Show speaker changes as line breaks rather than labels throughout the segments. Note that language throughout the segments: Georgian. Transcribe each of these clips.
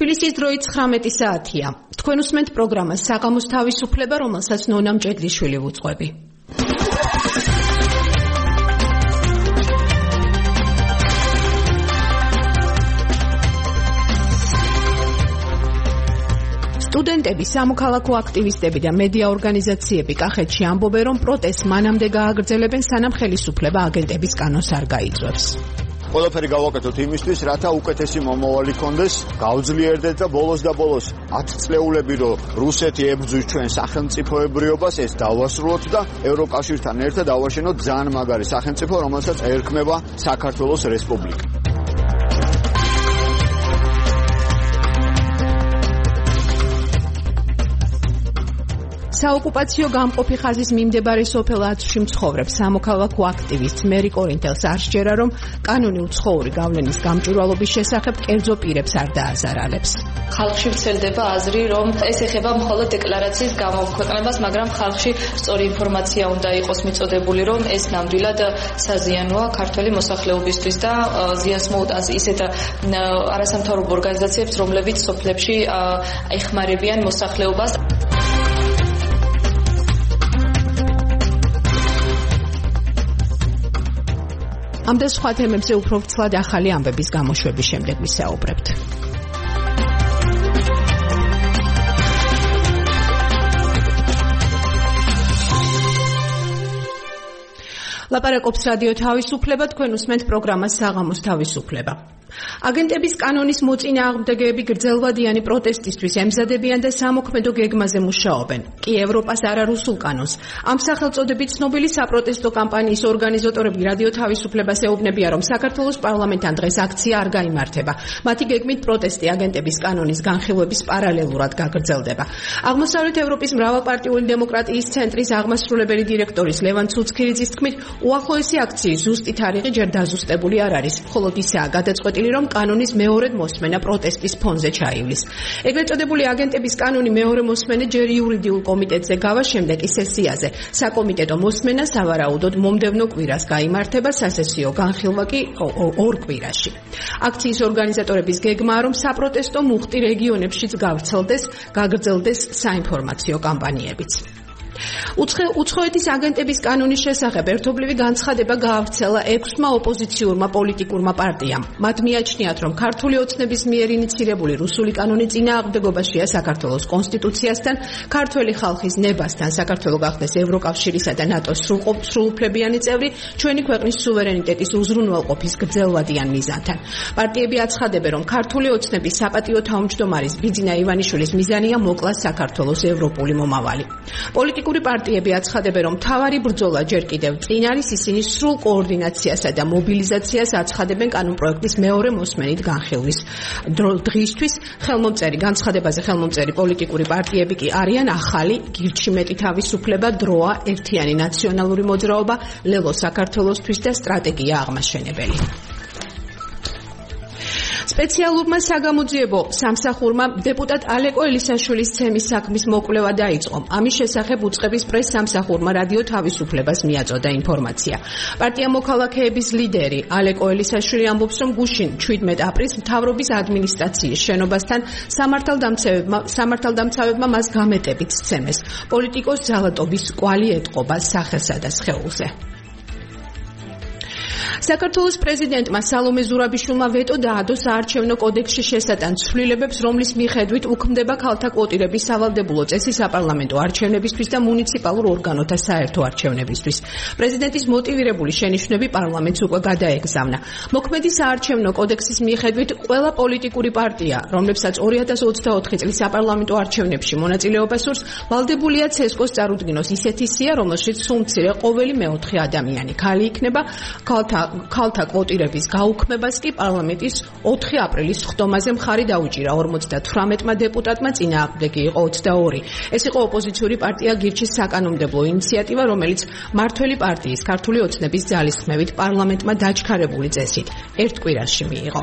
თბილისის დროით 19 საათია. თქვენ უსმენთ პროგრამას საღამოს თავისუფლება, რომელსაც ნონა მჭედლიშვილი ვუძღვები. სტუდენტები, სამოქალაქო აქტივისტები და მედია ორგანიზაციები კახეთში ამბობენ, რომ პროტესტს მანამდე გააგრძელებენ, სანამ ხელისუფლება აგენტების კანონს არ გაიწვევს.
ყველაფერი გავაკეთოთ იმისთვის, რათა უკეთესი მომავალი გქონდეს, გავძლიერდეთ და ბოლოს 10 წლეულები, რომ რუსეთი ებრძვის ჩვენ სახელმწიფოებრიობას, ეს დავასრულოთ და ევროკავშირთან ერთად დავაშენოთ ძალიან მაგარი სახელმწიფო, რომელსაც ერქმება საქართველოს რესპუბლიკა.
საოკუპაციო გამყოფი ხაზის მიმდებარე სოფელ ათში მცხოვრებ სამოქალაქო აქტივისტ მერი კორინთელს არ სჯერა, რომ კანონი უცხოური გავლენის გამჭვირვალობის შესახებ კერძო პირებს არ დააზარალებს.
ხალხში ვრცელდება აზრი, რომ ეს ეხება მხოლოდ დეკლარაციის გამოქვეყნებას, მაგრამ ხალხში სწორი ინფორმაცია უნდა იყოს მიწოდებული, რომ ეს ნამდვილად საზიანოა ქართველი მოსახლეობისთვის და ზიანს მოუტანს ისეთ არასამთავრობო ორგანიზაციებს, რომლებიც სოფლებში ეხმარებიან მოსახლეობას.
ამ და სხვა თემებზე უფრო ვრცლად ახალი ამბების გამოშვების შემდეგ ვისაუბრებთ. ლაპარაკობს რადიო თავისუფლება, თქვენ უსმენთ პროგრამას საღამოს თავისუფლება. აგენტების კანონის მოწინააღმდეგეები გრძელვადიანი პროტესტისთვის ემზადებიან და სამოქმედო გეგმაზე მუშაობენ. კი ევროპას არარუსულ კანონს. ამ სახელწოდებით ცნობილი საპროტესტო კამპანიის ორგანიზატორები რადიო თავისუფლებას ეუბნებიან, რომ საქართველოს პარლამენტთან დღეს აქცია არ გაიმართება. მათი გეგმით პროტესტი აგენტების კანონის განხილვების პარალელურად გაგრძელდება. აღმოსავლეთ ევროპის მრავალპარტიული დემოკრატიის ცენტრის აღმასრულებელი დირექტორის ლევან ცუცქირიძის თქმით, უახლოესი აქციის ზუსტი თარიღი ჯერ დაზუსტებული არ არის, მხოლოდ ისაა გადაწყვეტილი, რომ კანონის მეორედ მოსმენა პროტესტის ფონზე ჩაივლის. ეგრეთ წოდებული აგენტების კანონი მეორე მოსმენა ჯერ იურიდიულ კომიტეტზე გავა, შემდეგ კი სესიაზე. საკომიტეტო მოსმენა სავარაუდოდ მომდევნო კვირას გაიმართება, სასესიო განხილვა კი 2 კვირაში. აქციის ორგანიზატორების გეგმაა, რომ საპროტესტო მუხტი რეგიონებშიც გაგრძელდეს საინფორმაციო კამპანიებიც. უცხოეთის აგენტების კანონის შესახებ ერთობლივი განცხადება გაავრცელა 6-მა ოპოზიციურმა პოლიტიკურმა პარტიამ. მათ მიაჩნიათ, რომ ქართული ოცნების მიერ ინიცირებული რუსული კანონი წინააღმდეგობაშია საქართველოს კონსტიტუციასთან, ქართველი ხალხის ნებასთან, საქართველო გახდეს ევროკავშირისა და ნატოს სრულუფლებიანი წევრი, ჩვენი ქვეყნის სუვერენიტეტის უზრუნველყოფის გრძელვადიან მიზანთან. პარტიები აცხადებენ, რომ ქართული ოცნების საპატიო თავმჯდომარის ბიძინა ივანიშვილის მიზანია მოკლას საქართველოს ევროპული მომავალი. პოლიტიკური პარტიები აცხადებენ, რომ მთავარი ბრძოლა ჯერ კიდევ წინ არის, ისინი სრულ კოორდინაციასა და მობილიზაციას აცხადებენ კანონპროექტის მეორე მოსმენით განხილვის დღისთვის. განცხადებაზე ხელმომწერი პოლიტიკური პარტიები კი არიან ახალი, გირჩი მეტი თავისუფლება, დროა, ერთიანი ნაციონალური მოძრაობა, ლელო საქართველოსთვის და სტრატეგია აღმაშენებელი. სპეციალურმა საგამოძიებო სამსახურმა დეპუტატ ალეკო ელისაშვილის ცემის საქმის მოკვლევა დაიწყო. ამის შესახებ უწყების პრეს-სამსახურმა რადიო თავისუფლებას მიაწოდა ინფორმაცია. პარტია მოქალაქეების ლიდერი ალეკო ელისაშვილი ამბობს, რომ გუშინ 17 აპრილს მთავრობის ადმინისტრაციის შენობასთან სამართალდამცავებმა მას გამეტებით სცემეს. პოლიტიკოს ძალატობის კვალი ეტყობა სახელსა და სხეულზე. საქართველოს პრეზიდენტმა სალომე ზურაბიშვილმა ვეტო დაადო საარჩევნო კოდექსში შესატან ცვლილებებს, რომლის მიხედვით უქმდება ქალთა კვოტირების სავალდებულო წესი საპარლამენტო არჩევნებისთვის და მუნიციპალურ ორგანოთა საერთო არჩევნებისთვის. პრეზიდენტის მოტივირებული შენიშვნები პარლამენტს უკვე გადაეგზავნა. მოქმედი საარჩევნო კოდექსის მიხედვით ყველა პოლიტიკური პარტია, რომლებსაც 2024 წლის საპარლამენტო არჩევნებში მონაწილეობა სურს, ვალდებულია ცესკოს წარუდგინოს ისეთი სია, რომელშიც სულ მცირე ყოველი მეოთხე ადამიანი ქალი იქნება. ქალთა კვოტირების გაუქმებას კი პარლამენტის 4 აპრილის ხდომაზე მხარი დაუჭირა 58-მა დეპუტატმა, წინააღმდეგი იყო 22. ეს იყო ოპოზიციური პარტია გირჩის საკანონმდებლო ინიციატივა, რომელიც მართველი პარტიის ქართული ოცნების ძალისხმევით პარლამენტმა დაჩქარებული წესით 1 კვირაში მიიღო.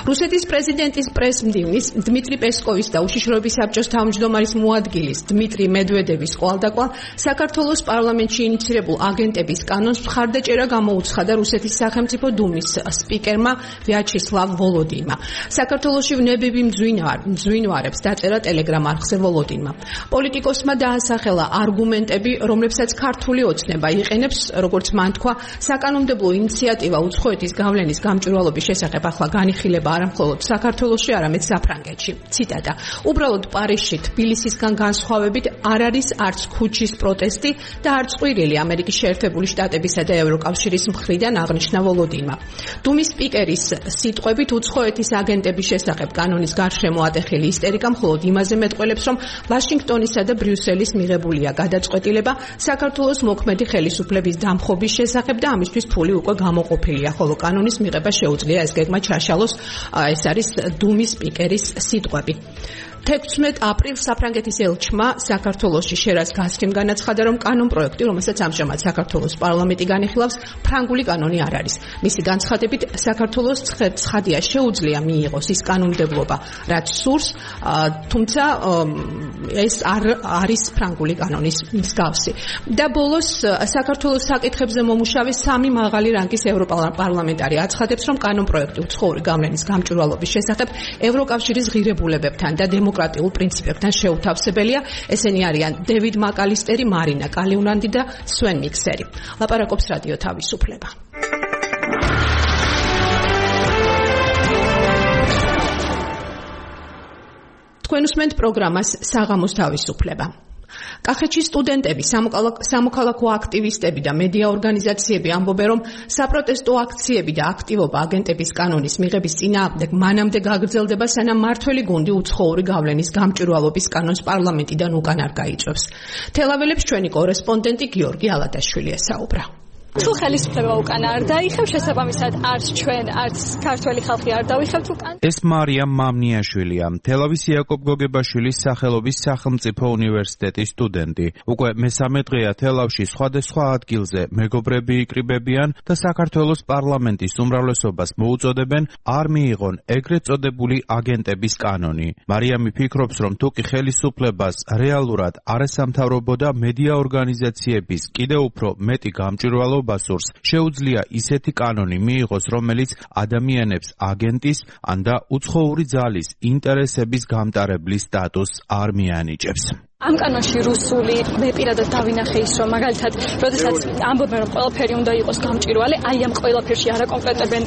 რუსეთის პრეზიდენტის პრესმდივნის დმიტრი პესკოვის და უშიშროების საბჭოს თავმჯდომარის მოადგილის დმიტრი მედვედევის ყვალდაკვალ საქართველოს პარლამენტში ინიცირებულ აგენტების კანონს მხარდაჭერა გამოუცხადა რუსეთის სახელმწიფო დუმის სპიკერმა ვიაჩესლავ ვოლოდინმა. საქართველოში ვნებები მძვინვარებს დაწერა ტელეგრამ არხზე ვოლოდინმა. პოლიტიკოსმა დაასახელა არგუმენტები, რომლებსაც ქართული ოცნება იყენებს, როგორც მან თქვა, საკანონმდებლო ინიციატივა უცხოეთის გავლენის გამჭვირვალობის შესახებ ახლა განიხილება არა მხოლოდ საქართველოში, არამედ საფრანგეთში. ციტატა: უბრალოდ პარიზში თბილისისგან განსხვავებით არ არის არც ქუჩის პროტესტი და არც ყვირილი ამერიკის შეერთებული შტატებისა და ევროკავშირის მხრიდან აღნიშნა ვოლოდინმა. დუმის სპიკერის სიტყვებით უცხოეთის აგენტების შესახებ კანონის გარშემო ატეხილი ისტერიკა მხოლოდ იმაზე მეტყველებს, რომ ვაშინგტონისა და ბრიუსელის მიღებულია გადაწყვეტილება საქართველოს მოქმედი ხელისუფლების დამხობის შესახებ და ამისთვის ფული უკვე გამოყოფილია, ხოლო კანონის მიღება შეუძლია ეს გეგმა ჩაშალოს. ეს არის დუმის სპიკერის სიტყვები. 16 აპრილს საფრანგეთის ელჩმა საქართველოში შერას გასცემ განაცხადა, რომ კანონპროექტი, რომელსაც ამჟამად საქართველოს პარლამენტი განიხილავს, ფრანგული კანონი არ არის. მისი განცხადებით, საქართველოს ცხადია შეუძლია მიიღოს ის კანონმდებლობა, რაც სურს, თუმცა ეს არ არის ფრანგული კანონის მსგავსი. და ბოლოს საქართველოს საკითხებზე მომუშავე 3 მაღალი რანგის ევროპარლამენტარი აცხადებს, რომ კანონპროექტი უცხოური გავლენის გამჭვირვალობის შესახებ ევროკავშირის ღირებულებებთან და დემოკრატიულ პრინციპებთან შეუთავსებელია. ესენი არიან დევიდ მაკალისტერი, მარინა კალიუნანდი და სვენ მიქსერი. ლაპარაკობს რადიო თავისუფლება. თქვენ უსმენთ პროგრამას საღამოს თავისუფლება. კახეთში სტუდენტები, სამოქალაქო აქტივისტები და მედია ორგანიზაციები ამბობენ, რომ საპროტესტო აქციები და აქტივობა აგენტების კანონის მიღების წინააღმდეგ მანამდე გაგრძელდება, სანამ მმართველი გუნდი უცხოური გავლენის გამჭვირვალობის კანონს პარლამენტიდან უკან არ გაიწვევს. თელაველებს ჩვენი კორესპონდენტი გიორგი ალადაშვილი ესაუბრა.
თუ ხელისუფლება უკან არ დაიხევს, შესაბამისად არც ჩვენ, არც ქართველი ხალხი არ დავიხევთ უკან.
ეს მარიამ მამნიაშვილია, თელავის იაკობ გოგებაშვილის სახელობის სახელმწიფო უნივერსიტეტის სტუდენტი. უკვე მესამე დღეა თელავში სხვადასხვა ადგილზე მეგობრები იკრიბებიან და საქართველოს პარლამენტის უმრავლესობას მოუწოდებენ არ მიიღონ ეგრეთ წოდებული აგენტების კანონი. მარიამი ფიქრობს, რომ თუკი ხელისუფლებას რეალურად არასამთავრობო და მედია ორგანიზაციების კიდევ უფრო მეტი გამჭვირვალობა სურს, შეუძლია ისეთი კანონი მიიღოს, რომელიც ადამიანებს აგენტის ან და უცხოური ძალის ინტერესების გამტარებლის სტატუსს არ მიანიჭებს.
ამ კანონში რუსული მე პირადად დავინახე ის, რომ მაგალითად, როდესაც ამბობენ, რომ ყველაფერი უნდა იყოს გამჭვირვალე, აი ამ ყველაფერში არა კონკრეტებენ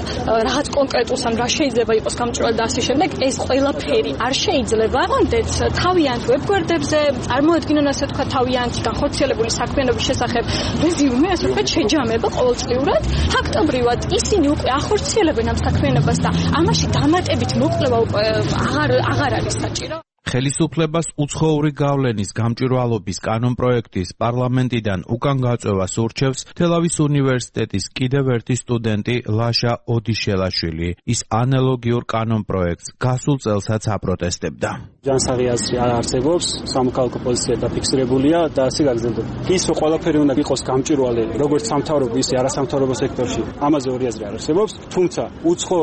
რაღაც კონკრეტულს, ან რა შეიძლება იყოს გამჭვირვალე და ასე შემდეგ, ეს ყველაფერი არ შეიძლება. კონდეც თავიანთ ვებგვერდებზე წარმოადგინონ, ასე ვთქვათ, თავიანთი განხორციელებული საქმიანობის შესახებ რეზიუმე, ასე ვთქვათ, შეჯამება ყოველწლიურად. ფაქტობრივად ისინი უკვე ახორციელებენ ამ საქმიანობას და ამაში დამატებით მოკვლევა უკვე აღარ არის საჭირო.
ხელისუფლებას უცხოური გავლენის გამჭვირვალობის კანონპროექტის პარლამენტიდან უკან გაწვევას ურჩევს თელავის უნივერსიტეტის კიდევ ერთი სტუდენტი ლაშა ოდიშელაშვილი. ის ანალოგიურ კანონპროექტს გასულ წელსაც აპროტესტებდა.
ჯანსაღი აზრი არ არსებობს, სამოქალაქო პოზიცია დაფიქსირებულია და ასე გაგრძელდება. ის რომ ყველაფერი უნდა იყოს გამჭვირვალე, როგორც სამთავრობო, ისე არასამთავრობო სექტორში, ამაზე ორი აზრი არ არსებობს, თუმცა უცხო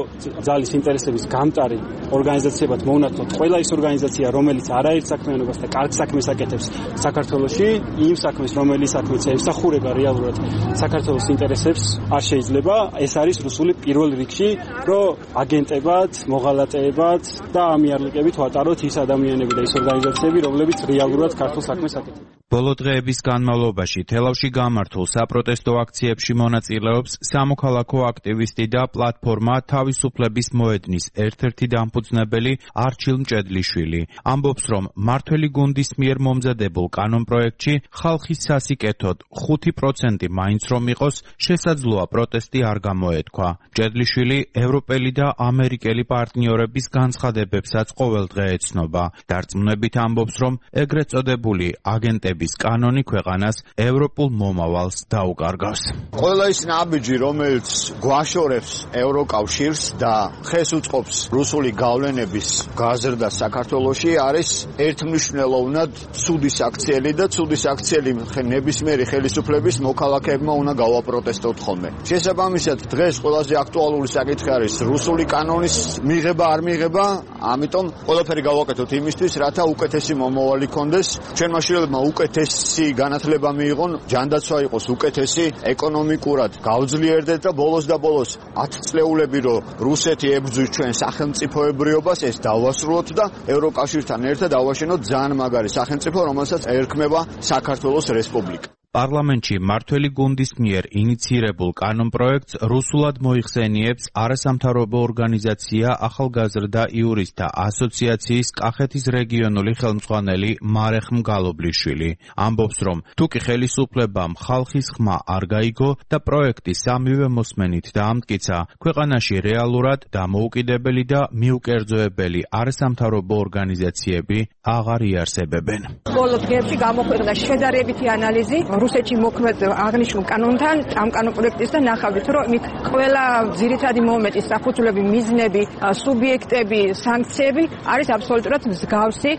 ძალის ინტერესების გამტარი ორგანიზაციებად მოუნათლოთ ყველა ის ორგანიზაცია, რომელიც არაერთ საქმიანობას და კარგ საქმეს აკეთებს საქართველოში, იმ საქმეს, რომელიც საქმეც ემსახურება რეალურად საქართველოს ინტერესებს, არ შეიძლება. ეს არის რუსული პირველ რიგში, რომ აგენტებად, მოღალატეებად და ამიარლიკებით ვატაროთ ის ადამიანები და ის ორგანიზაციები, რომლებიც რეალურად ქართულ საქმეს აკეთებენ.
ბოლო დღეების განმავლობაში თელავში გამართულ საპროტესტო აქციებში მონაწილეობს სამოქალაქო აქტივისტი და პლატფორმა თავისუფლების მოედნის ერთ-ერთი დამფუძნებელი არჩილ მჭედლიშვილი. ამბობს, რომ მმართველი გუნდის მიერ მომზადებულ კანონპროექტში ხალხის სასიკეთოდ 5% მაინც რომ იყოს, შესაძლოა პროტესტი არ გამოეთქვა. მჭედლიშვილი ევროპელი და ამერიკელი პარტნიორების განცხადებებსაც ყოველდღე ეცნობა. დარწმუნებით ამბობს, რომ ეგრეთ წოდებული აგენტების აღზრდების კანონი ქვეყანას ევროპულ მომავალს დაუკარგავს.
ყველა ის ნაბიჯი, რომელიც გვაშორებს ევროკავშირს და ხეს უწყობს რუსული გავლენების გაზრდას საქართველოში, არის ერთმნიშვნელოვნად ცუდი საქციელი და ცუდი საქციელი ნებისმიერი ხელისუფლების მოქალაქეებმა უნდა გავაპროტესტოთ ხოლმე. შესაბამისად, დღეს ყველაზე აქტუალური საკითხი არის რუსული კანონის მიღება არ მიღება, ამიტომ ყველაფერი გავაკეთოთ იმისთვის, რათა უკეთესი მომავალი კონდეს, ჩვენმა შვილებმა უკეთესი განათლება მიიღონ, ჯანდაცვა იყოს უკეთესი, ეკონომიკურად გავძლიერდეთ და ბოლოს 10 წლეულები რომ რუსეთი ებრძვის ჩვენ სახელმწიფოებრიობას, ეს დავასრულოთ და ევროკავშირთან ერთად დავაშენოთ ძალიან მაგარი სახელმწიფო, რომელსაც ერქმება საქართველოს რესპუბლიკა.
პარლამენტში მართველი გუნდის მიერ ინიცირებულ კანონპროექტს რუსულად მოიხსენიებს არასამთავრობო ორგანიზაცია ახალგაზრდა იურისტთა ასოციაციის კახეთის რეგიონული ხელმძღვანელი მარეხ მგალობლიშვილი. ამბობს, რომ თუკი ხელისუფლებამ ხალხის ხმა არ გაიგო და პროექტი სამივე მოსმენით დაამტკიცა, ქვეყანაში რეალურად დამოუკიდებელი და მიუკერძოებელი არასამთავრობო ორგანიზაციები აღარ იარსებებენ.
ბოლო დღეებში გამოქვეყნდა შედარებითი ანალიზი რუსეთში მოქმედ აღნიშნულ კანონთან, ამ კანონპროექტისთან ნახავთ, რომ მით ყველა ძირითადი მომენტი, საფუძვლები, მიზნები, სუბიექტები, სანქციები არის აბსოლუტურად მსგავსი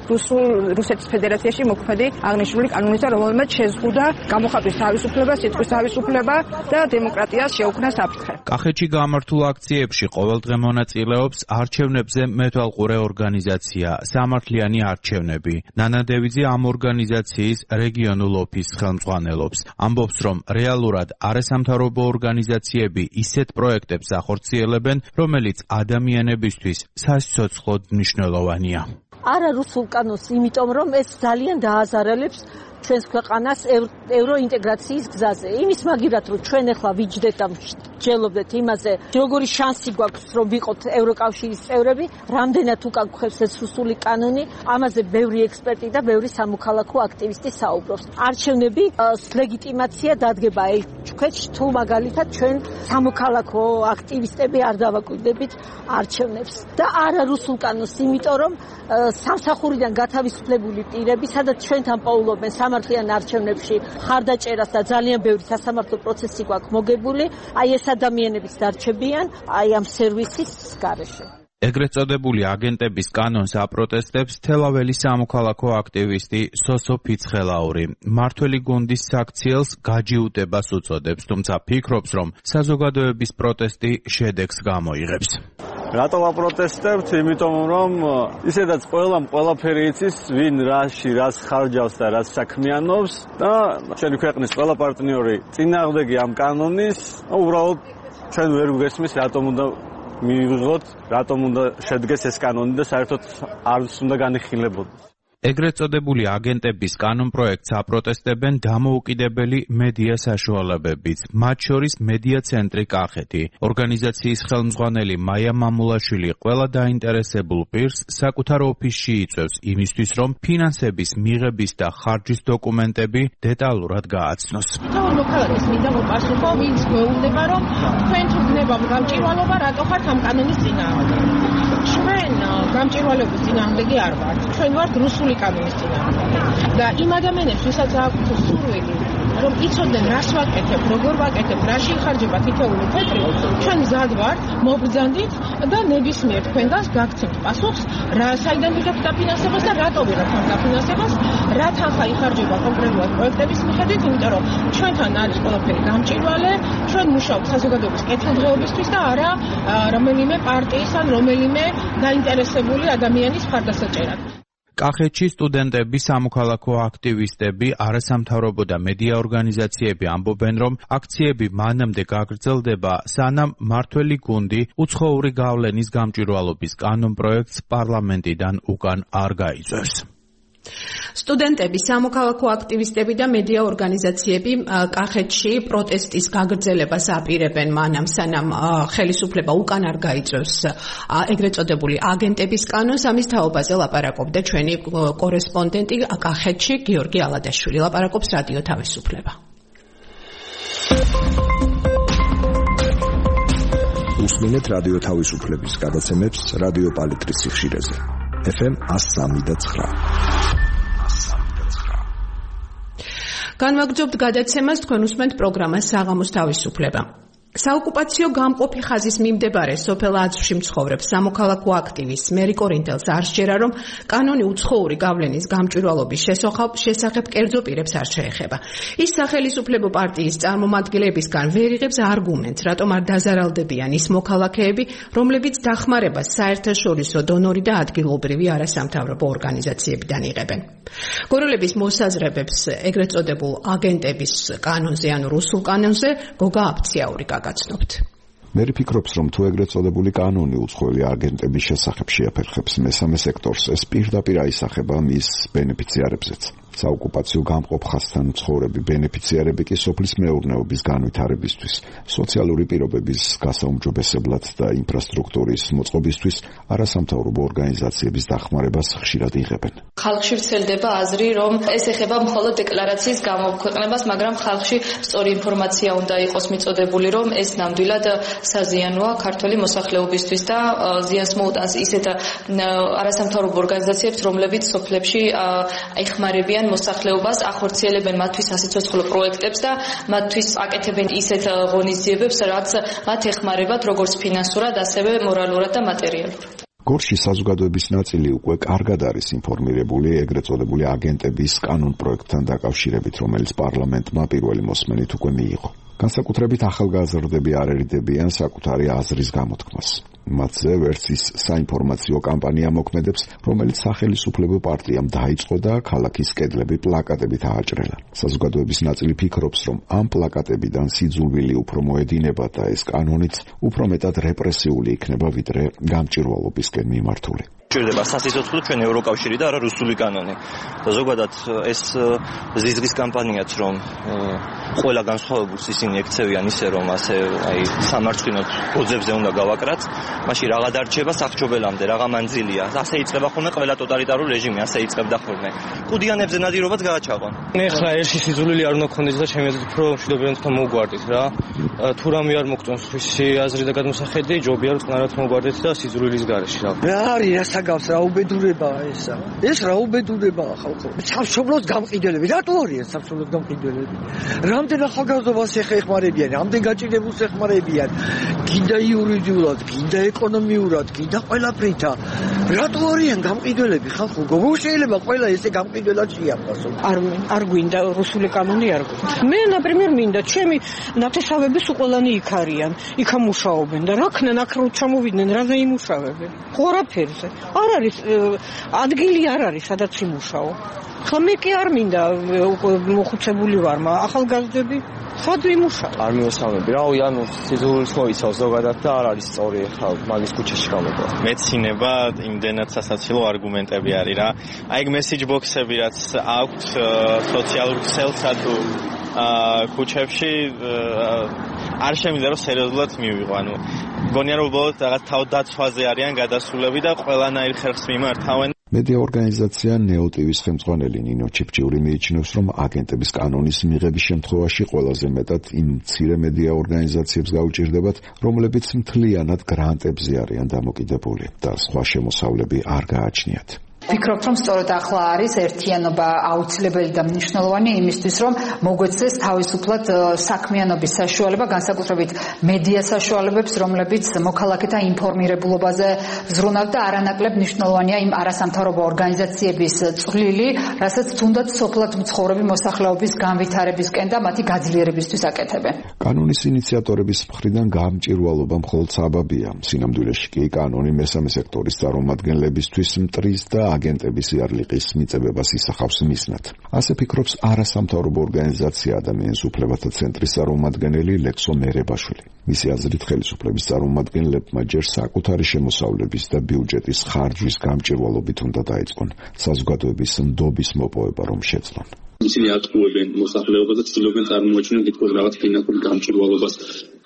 რუსეთის ფედერაციაში მოქმედი აღნიშნული კანონისა, რომელმაც შეზღუდა გამოხატვის თავისუფლება, სიტყვის თავისუფლება და დემოკრატიას შეუქმნა საფრთხე.
კახეთში გამართულ აქციებში ყოველდღე მონაწილეობს არჩევნებზე მეთვალყურე ორგანიზაცია სამართლიანი არჩევნები. ნანა დევიძე ამ ორგანიზაციის რეგიონულ ოფისს ხელმძღვანელობს. ამბობს, რომ რეალურად არასამთავრობო ორგანიზაციები ისეთ პროექტებს ახორციელებენ, რომელიც ადამიანებისთვის სასიცოცხლოდ მნიშვნელოვანია.
არა რუსულ კანონს, იმიტომ რომ ეს ძალიან დააზარალებს ჩვენს ქვეყანას ევროინტეგრაციის გზაზე. იმის მაგივრად, რომ ჩვენ ახლა ვიჯდეთ და ვჯელობდეთ იმაზე, როგორი შანსი გვაქვს, რომ ვიყოთ ევროკავშირის წევრები, რამდენად უკან გვხევს ეს რუსული კანონი, ამაზე ბევრი ექსპერტი და ბევრი სამოქალაქო აქტივისტი საუბრობს. არჩევნები ლეგიტიმაცია დადგება ჩვენში, თუ მაგალითად ჩვენ სამოქალაქო აქტივისტები არ დავაკვირდებით არჩევნებს და არა რუსულ კანონს, იმიტომ რომ სამსახურიდან გათავისუფლებული პირები, სადაც ჩვენთან პოულობენ სამართლიან არჩევნებში ხარდაჭერას და ძალიან ბევრი სასამართლო პროცესი გვაქვს მოგებული, აი ეს ადამიანებიც დარჩებიან აი ამ სერვისის გარეშე.
ეგრეთ წოდებული აგენტების კანონს აპროტესტებს თელაველის სამოქალაქო აქტივისტი სოსო ფიცხელაური. მართველი გუნდის საქციელს გაჯიუტებას უწოდებს, თუმცა ფიქრობს, რომ საზოგადოების პროტესტი შედეგს გამოიღებს.
რატო ვაპროტესტებთ? იმიტომ რომ ისედაც ყველაფერი იცის, ვინ რას ხარჯავს და რას საქმიანობს და ჩვენი ქვეყნის ყველა პარტნიორი წინააღმდეგი ამ კანონის, უბრალოდ ჩვენ ვერ გვესმის რატომ უნდა მივიღოთ, რატომ უნდა შედგეს ეს კანონი და საერთოდ არც უნდა განიხილებოდეს.
ეგრეთ წოდებული აგენტების კანონპროექტს აპროტესტებენ დამოუკიდებელი მედია საშუალებებიც, მათ შორის მედია ცენტრი კახეთი. ორგანიზაციის ხელმძღვანელი მაია მამულაშვილი ყველა დაინტერესებულ პირს საკუთარ ოფისში იწვევს იმისთვის, რომ ფინანსების მიღების და ხარჯის დოკუმენტები დეტალურად გააცნოს.
მოქალაქეს მინდა მოპასუხო, ვინც გვეუბნება, რომ თქვენ თუ გნებავ გამჭირვალობა, რატო ხართ ამ კანონის წინააღმდეგ? ჩვენ გამჭირვალების წინააღმდეგი არ ვართ. ჩვენ ვართ რუსული კანონის წინააღმდეგ. და იმ ადამიანებს, ვისაც აქვთ სურვილი, რომ იცოდნენ რას ვაკეთებ, როგორ ვაკეთებ, რაში იხარჯება თითოეული ცენტრი, ჩვენ მზად ვართ, მობრძანდით და ნებისმიერ თქვენგანს გაგცემთ პასუხს, საიდან ვიღებთ დაფინანსებას და რატო ვიღებთ ამ დაფინანსებას, რა თანხა იხარჯება კონკრეტულად პროექტების მიხედვით, იმიტომ რომ ჩვენთან არის ყველაფერი გამჭირვალე, ჩვენ მუშაობთ საზოგადოების კეთილდღეობისთვის და არა რომელიმე პარტიის ან რომელიმე დაინტერესებული ადამიანის მხარდასაჭერად.
კახეთში სტუდენტები, სამოქალაქო აქტივისტები, არასამთავრობო და მედია ორგანიზაციები ამბობენ, რომ აქციები მანამდე გაგრძელდება, სანამ მართველი გუნდი უცხოური გავლენის გამჭვირვალობის კანონპროექტს პარლამენტიდან უკან არ გაიწვევს.
სტუდენტები, სამოქალაქო აქტივისტები და მედია ორგანიზაციები კახეთში პროტესტის გაგრძელებას აპირებენ მანამ, სანამ ხელისუფლება უკან არ გაიწვევს ეგრეთ წოდებული აგენტების კანონს. ამის თაობაზე ლაპარაკობდა ჩვენი კორესპონდენტი კახეთში გიორგი ალადაშვილი. ლაპარაკობს რადიო თავისუფლება.
უსმინეთ რადიო თავისუფლების გადაცემებს რადიო პალიტრის სიხშირეზე. FM 103.9.
განვაგრძობთ გადაცემას თქვენ უსმენთ პროგრამას საღამოს თავისუფლება. საოკუპაციო გამყოფი ხაზის მიმდებარე სოფელ აზრში მცხოვრებ სამოქალაქო აქტივისტს მერი კორინთელს არ სჯერა, რომ კანონი უცხოური გავლენის გამჭვირვალობის შესახებ კერძო პირებს არ შეეხება. ის სახელისუფლებო პარტიის წარმომადგენლებისგან ვერ იღებს არგუმენტს, რატომ არ დაზარალდებიან ის მოქალაქეები, რომლებიც დახმარებას საერთაშორისო დონორი და ადგილობრივი არასამთავრობო ორგანიზაციებიდან იღებენ. გოროლების მოსაზრებებს ეგრეთ წოდებულ აგენტების კანონზე, ანუ რუსულ კანონზე, გოგა აფციაური გაგაცნობთ.
მე ვფიქრობ, რომ თუ ეგრეთ წოდებული კანონი უცხოელი აგენტების შესახებ შეაფერხებს მესამე სექტორს, ეს პირდაპირ აისახება მის ბენეფიციარებზეც. საოკუპაციო გამყოფ ხაზთან მცხოვრები ბენეფიციარები კი სოფლის მეურნეობის განვითარებისთვის, სოციალური პირობების გასაუმჯობესებლად და ინფრასტრუქტურის მოწყობისთვის არასამთავრობო ორგანიზაციების დახმარებას ხშირად იღებენ.
ხალხში ვრცელდება აზრი, რომ ეს ეხება მხოლოდ დეკლარაციის გამოქვეყნებას, მაგრამ ხალხში სწორი ინფორმაცია უნდა იყოს მიწოდებული, რომ ეს ნამდვილად საზიანოა ქართული მოსახლეობისთვის და ზიანს მოუტანს ისეთ არასამთავრობო ორგანიზაციებს, რომლებიც სოფლებში ეხმარებიან მოსახლეობას, ახორციელებენ მათთვის სასიცოცხლო პროექტებს და მათთვის აკეთებენ ისეთ ღონისძიებებს, რაც მათ ეხმარებათ როგორც ფინანსურად, ასევე მორალურად და მატერიალურად.
გორში საზოგადოების ნაწილი უკვე კარგად არის ინფორმირებული ეგრეთ წოდებული აგენტების კანონ პროექტთან დაკავშირებით, რომელიც პარლამენტმა პირველი მოსმენით უკვე მიიღო. განსაკუთრებით ახალგაზრდები არ ერიდებიან საკუთარი აზრის გამოთქმას. მათზე ვერც ის საინფორმაციო კამპანია მოქმედებს, რომელიც სახელისუფლებო პარტიამ დაიწყო და ქალაქის კედლები პლაკატებით ააჭრელა. საზოგადოების ნაწილი ფიქრობს, რომ ამ პლაკატებიდან სიძულვილი უფრო მოედინება და ეს კანონიც უფრო მეტად რეპრესიული იქნება, ვიდრე გამჭვირვალობისკენ მიმართული.
ჭირდება სასიცოცხლო ჩვენ ევროკავშირი და არა რუსული კანონი. და ზოგადად ეს ზიზღის კამპანიაც, რომ ყველა განსხვავებულს ისინი ექცევიან ისე, რომ ასე სამარცხინოდ გოძებზე უნდა გავაკრათ, მაშინ რაღა დარჩება სახჭობელამდე, რაღა მანძილია. ასე იწყება ხოლმე ყველა ტოტალიტარული რეჟიმი, ასე იწყებდა ხოლმე. ყუდიანებზე ნადირობაც გააჩაღონ.
ეხლა ერთი სიძულვილი არ უნდა გქონდეს და ჩემი აზრით უფრო მშვიდობიან თქვა მოუგვარდით რა. თუ რამე არ მოგწონს თქვენი აზრი და გადმოსახედი, ჯობია რომ წყნარად მოგვარდეთ და სიძულვილის გარეშე რა.
რა არის გავს რა უბედურებაა ესა. ეს რა უბედურებაა ხალხო. სამშობლოს გამყიდველები, რატო არიან სამშობლოს გამყიდველები? რამდენ ახალგაზრდობას ეხმარებიან, რამდენ გაჭირებულს ეხმარებიან, გინდა იურიდიულად, გინდა ეკონომიურად, გინდა ყველაფრით. რატო არიან გამყიდველები ხალხო? როგორ შეიძლება ყველა ესე გამყიდველად შეაფასო?
არ გვინდა რუსული კანონი არ გვინდა. მე ნაპრიმერ მინდა, ჩემი ნათესავების უყოლანი იქ არიან, იქ ამუშაობენ და რა ქნან აქ რო ჩამოვიდნენ, რაზე იმუშავებენ? ყველაფერზე. არ არის ადგილი არ არის სადაც იმუშაო. ხა მე კი არ მინდა მოხუცებული ვარ, ახალგაზრდები სად იმუშაო?
არ მიესალმები რა, ანუ სიძულვილს მოიცავს ზოგადად და არ არის სწორი ხა მაგის ქუჩაში გამოვა.
მეცინება იმდენად სასაცილო არგუმენტები არის რა. აი ეგ მესეჯ ბოქსები რაც აქვს სოციალურ ქსელსა თუ ქუჩებში არ შემიძლია რომ სერიოზულად მივიღო. ანუ მგონია რომ უბრალოდ რაღაც თავდაცვაზე არიან გადასულები და ყველანაირ ხერხს მიმართავენ.
მედია ორგანიზაცია ნეოტივის ხელმძღვანელი ნინო ჩიფჭიული მიიჩნევს, რომ აგენტების კანონის მიღების შემთხვევაში ყველაზე მეტად იმ მცირე მედია ორგანიზაციებს გაუჭირდებათ, რომლებიც მთლიანად გრანტებზე არიან დამოკიდებული და სხვა შემოსავლები არ გააჩნიათ.
ვფიქრობ, რომ სწორედ ახლა არის ერთიანობა აუცილებელი და მნიშვნელოვანი იმისთვის, რომ მოგვეცეს თავისუფლად საქმიანობის საშუალება, განსაკუთრებით მედია საშუალებებს, რომლებიც მოქალაქეთა ინფორმირებულობაზე ზრუნავთ და არანაკლებ მნიშვნელოვანია იმ არასამთავრობო ორგანიზაციების წვლილი, რასაც თუნდაც სოფლად მცხოვრები მოსახლეობის განვითარებისკენ და მათი გაძლიერებისთვის აკეთებენ.
კანონის ინიციატორების მხრიდან გამჭვირვალობა მხოლოდ საბაბია. სინამდვილეში კი კანონი მესამე სექტორის წარმომადგენლებისთვის მტრის და აგენტების იარლიყის მიწებებას ისახავს მიზნად. ასე ფიქრობს არასამთავრობო ორგანიზაცია ადამიანის უფლებათა ცენტრის წარმომადგენელი ლექსო მერებაშვილი. მისი აზრით ხელისუფლების წარმომადგენლებმა ჯერ საკუთარი შემოსავლების და ბიუჯეტის ხარჯვის გამჭვირვალობით უნდა დაიწყონ საზოგადოების ნდობის მოპოვება რომ შეძლონ.
ისინი ატყუებენ მოსახლეობას და ცდილობენ წარმოაჩინონ თითქოს რაღაც ფინანსურ გამჭვირვალობას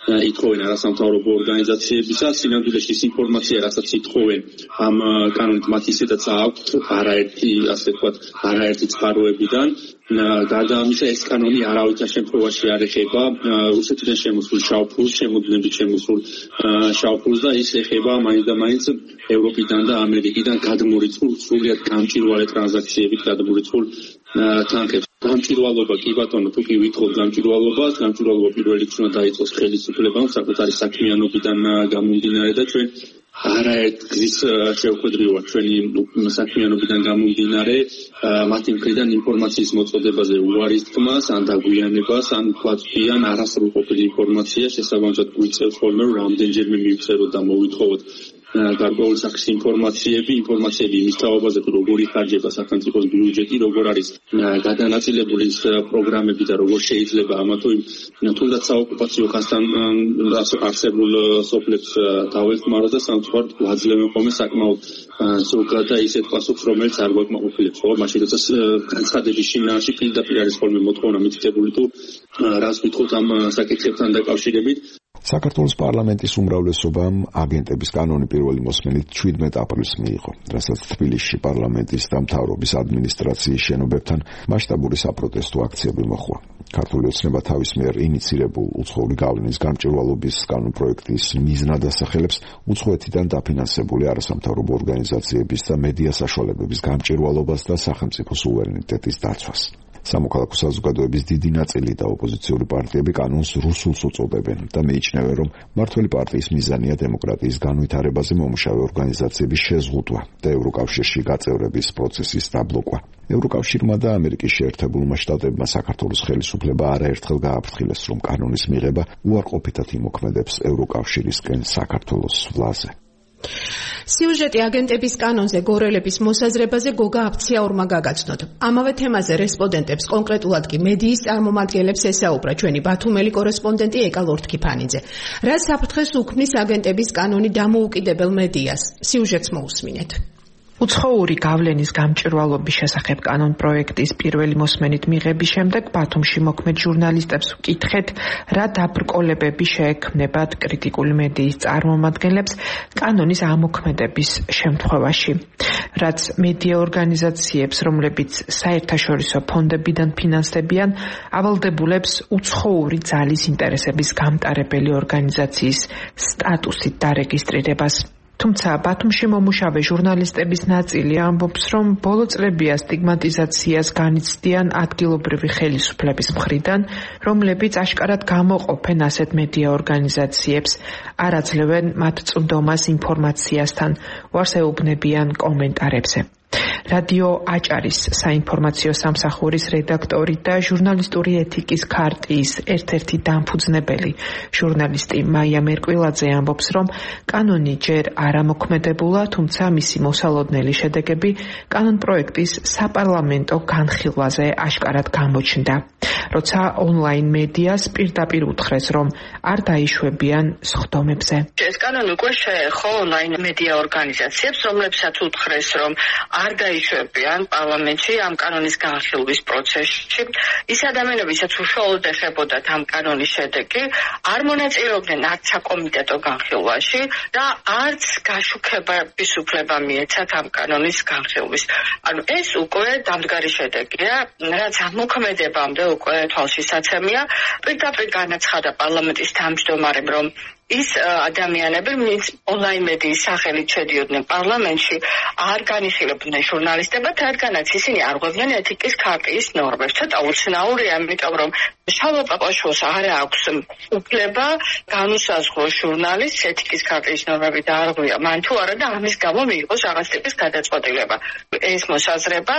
ითხოვენ არასამთავრობო ორგანიზაციებისა. სინამდვილეში ის ინფორმაცია, რასაც ითხოვენ ამ კანონით მათ ისედაც აქვთ არაერთი, ასე ვთქვათ, არაერთი წყაროებიდან. გარდა ამისა, ეს კანონი არავითარ შემთხვევაში არ ეხება რუსეთიდან შემოსულ შავფურს, შემოქმედებით შემოსულ შავფურს და ის ეხება მაინც და მაინც ევროპიდან და ამერიკიდან გადმორიცხულ, სრულიად გამჭვირვალე ტრანზაქციებით გადმორიცხულ თანხებს. გამჭვირვალობა კი ბატონო, თუ კი ვითხოვთ გამჭვირვალობას პირველ რიგში უნდა დაიწყოს ხელისუფლებამ საკუთარი საქმიანობიდან გამომდინარე და ჩვენ არაერთ გზის შევხვედრივართ ჩვენი საქმიანობიდან გამომდინარე მათი მხრიდან ინფორმაციის მოწოდებაზე უარის თქმას, ან დაგვიანებას, ან ვთქვათ, არასრულყოფილი ინფორმაცია შესაბამისად გვიწევს ხოლმე რომ რამდენჯერმე მივწეროთ და მოვითხოვოთ გარკვეული სახის ინფორმაციები იმის თაობაზე თუ როგორი ხარჯება სახელმწიფოს ბიუჯეტი, როგორ არის გადანაწილებული ის პროგრამები და როგორ შეიძლება ამა თუ იმ თუნდაც საოკუპაციო ხასთან არსებულ სოფლებს დავეხმაროთ და სამწუხაროდ გვაძლევენ ხოლმე საკმაოდ ზოგად და ისეთ პასუხს, რომელიც არ გვაკმაყოფილებს, ხო? მაშინ როცა განცხადების შინაარსი პირდაპირ არის ხოლმე მოთხოვნა მითითებული თუ რას გითხოთ ამ საკითხებთან დაკავშირებით.
საქართველოს პარლამენტის უმრავლესობამ აგენტების კანონი პირველი მოსმენით 17 აპრილს მიიღო, რასაც თბილისში პარლამენტის და მთავრობის ადმინისტრაციის შენობებთან მასშტაბური საპროტესტო აქციები მოჰყვა. ქართული ოცნება თავის მიერ ინიცირებულ უცხოური გავლენის გამჭვირვალობის კანონპროექტის მიზნად ასახელებს უცხოეთიდან დაფინანსებული არასამთავრობო ორგანიზაციების და მედია საშუალებების გამჭვირვალობას და სახელმწიფო სუვერენიტეტის დაცვას. სამოქალაქო საზოგადოების დიდი ნაწილი და ოპოზიციური პარტიები კანონს რუსულს უწოდებენ და მიიჩნევენ, რომ მმართველი პარტიის მიზანია დემოკრატიის განვითარებაზე მომუშავე ორგანიზაციების შეზღუდვა და ევროკავშირში გაწევრების პროცესის დაბლოკვა. ევროკავშირმა და ამერიკის შეერთებულმა შტატებმა საქართველოს ხელისუფლება არაერთხელ გააფრთხილეს, რომ კანონის მიღება უარყოფითად იმოქმედებს ევროკავშირისკენ საქართველოს ვლაზე.
სიუჟეტი აგენტების კანონზე გორელების მოსაზრებაზე გოგა აფციაურმა გაგაცნოთ. ამავე თემაზე რესპონდენტებს, კონკრეტულად კი მედიის წარმომადგენლებს ესაუბრა ჩვენი ბათუმელი კორესპონდენტი ეკა ლორთქიფანიძე. რა საფრთხეს უქმნის აგენტების კანონი დამოუკიდებელ მედიას? სიუჟეტს მოусმინეთ.
უცხოური გავლენის გამჭვირვალობის შესახებ კანონპროექტის პირველი მოსმენით მიღების შემდეგ ბათუმში მოქმედ ჟურნალისტებს ვკითხეთ, რა დაბრკოლებები შეექმნებათ კრიტიკული მედიის წარმომადგენლებს კანონის ამოქმედების შემთხვევაში. რაც მედია ორგანიზაციებს, რომლებიც საერთაშორისო ფონდებიდან ფინანსდებიან, ავალდებულებს უცხოური ძალის ინტერესების გამტარებელი ორგანიზაციის სტატუსით დარეგისტრირებას. თუმცა ბათუმში მომუშავე ჟურნალისტების ნაწილი ამბობს, რომ ბოლო წლებია სტიგმატიზაციას განიცდიან ადგილობრივი ხელისუფლების მხრიდან, რომლებიც აშკარად გამოყოფენ ასეთ მედია ორგანიზაციებს, არ აძლევენ მათ წვდომას ინფორმაციასთან, უარს ეუბნებიან კომენტარებზე. რადიო აჭარის საინფორმაციო სამსახურის რედაქტორი და ჟურნალისტური ეთიკის ქარტიის ერთ-ერთი დამფუძნებელი ჟურნალისტი მაია მერკვილაძე ამბობს, რომ კანონი ჯერ არ ამოქმედებულა, თუმცა მისი მოსალოდნელი შედეგები კანონპროექტის საპარლამენტო განხილვაზე აშკარად გამოჩნდა. როცა ონლაინ მედიას პირდაპირ უთხრეს, რომ არ დაიშვებიან სხდომებზე.
ეს კანონი უკვე შეეხო ონლაინ მედია ორგანიზაციებს, რომლებსაც უთხრეს, რომ არ დაიშვებიან პარლამენტში ამ კანონის განხილვის პროცესში. ის ადამიანები, ვისაც უშუალოდ ეხებოდათ ამ კანონის შედეგი, არ მონაწილეობდნენ არც საკომიტეტო განხილვაში და არც გაშუქების უფლება მიეცათ ამ კანონის განხილვის. ანუ ეს უკვე დამდგარი შედეგია, რაც ამოქმედებამდე უკვე თვალშისაცემია. პირდაპირ განაცხადა პარლამენტის თავმჯდომარემ, რომ ის ადამიანები, ვინც ონლაინ მედიის სახელით შედიოდნენ პარლამენტში, არ განიხილებდნენ ჟურნალისტებად, რადგანაც ისინი არ ღვევდნენ ეთიკის ქარტიის ნორმებს. ცოტა უცნაურია, იმიტომ რომ შალვა პაპაშვილს არ აქვს უფლება განუსაზღვროს ჟურნალისტს ეთიკის ქარტიის ნორმები დაარღვია მან თუ არა და ამის გამო მიიღოს რაღაც ტიპის გადაწყვეტილება. ეს მოსაზრება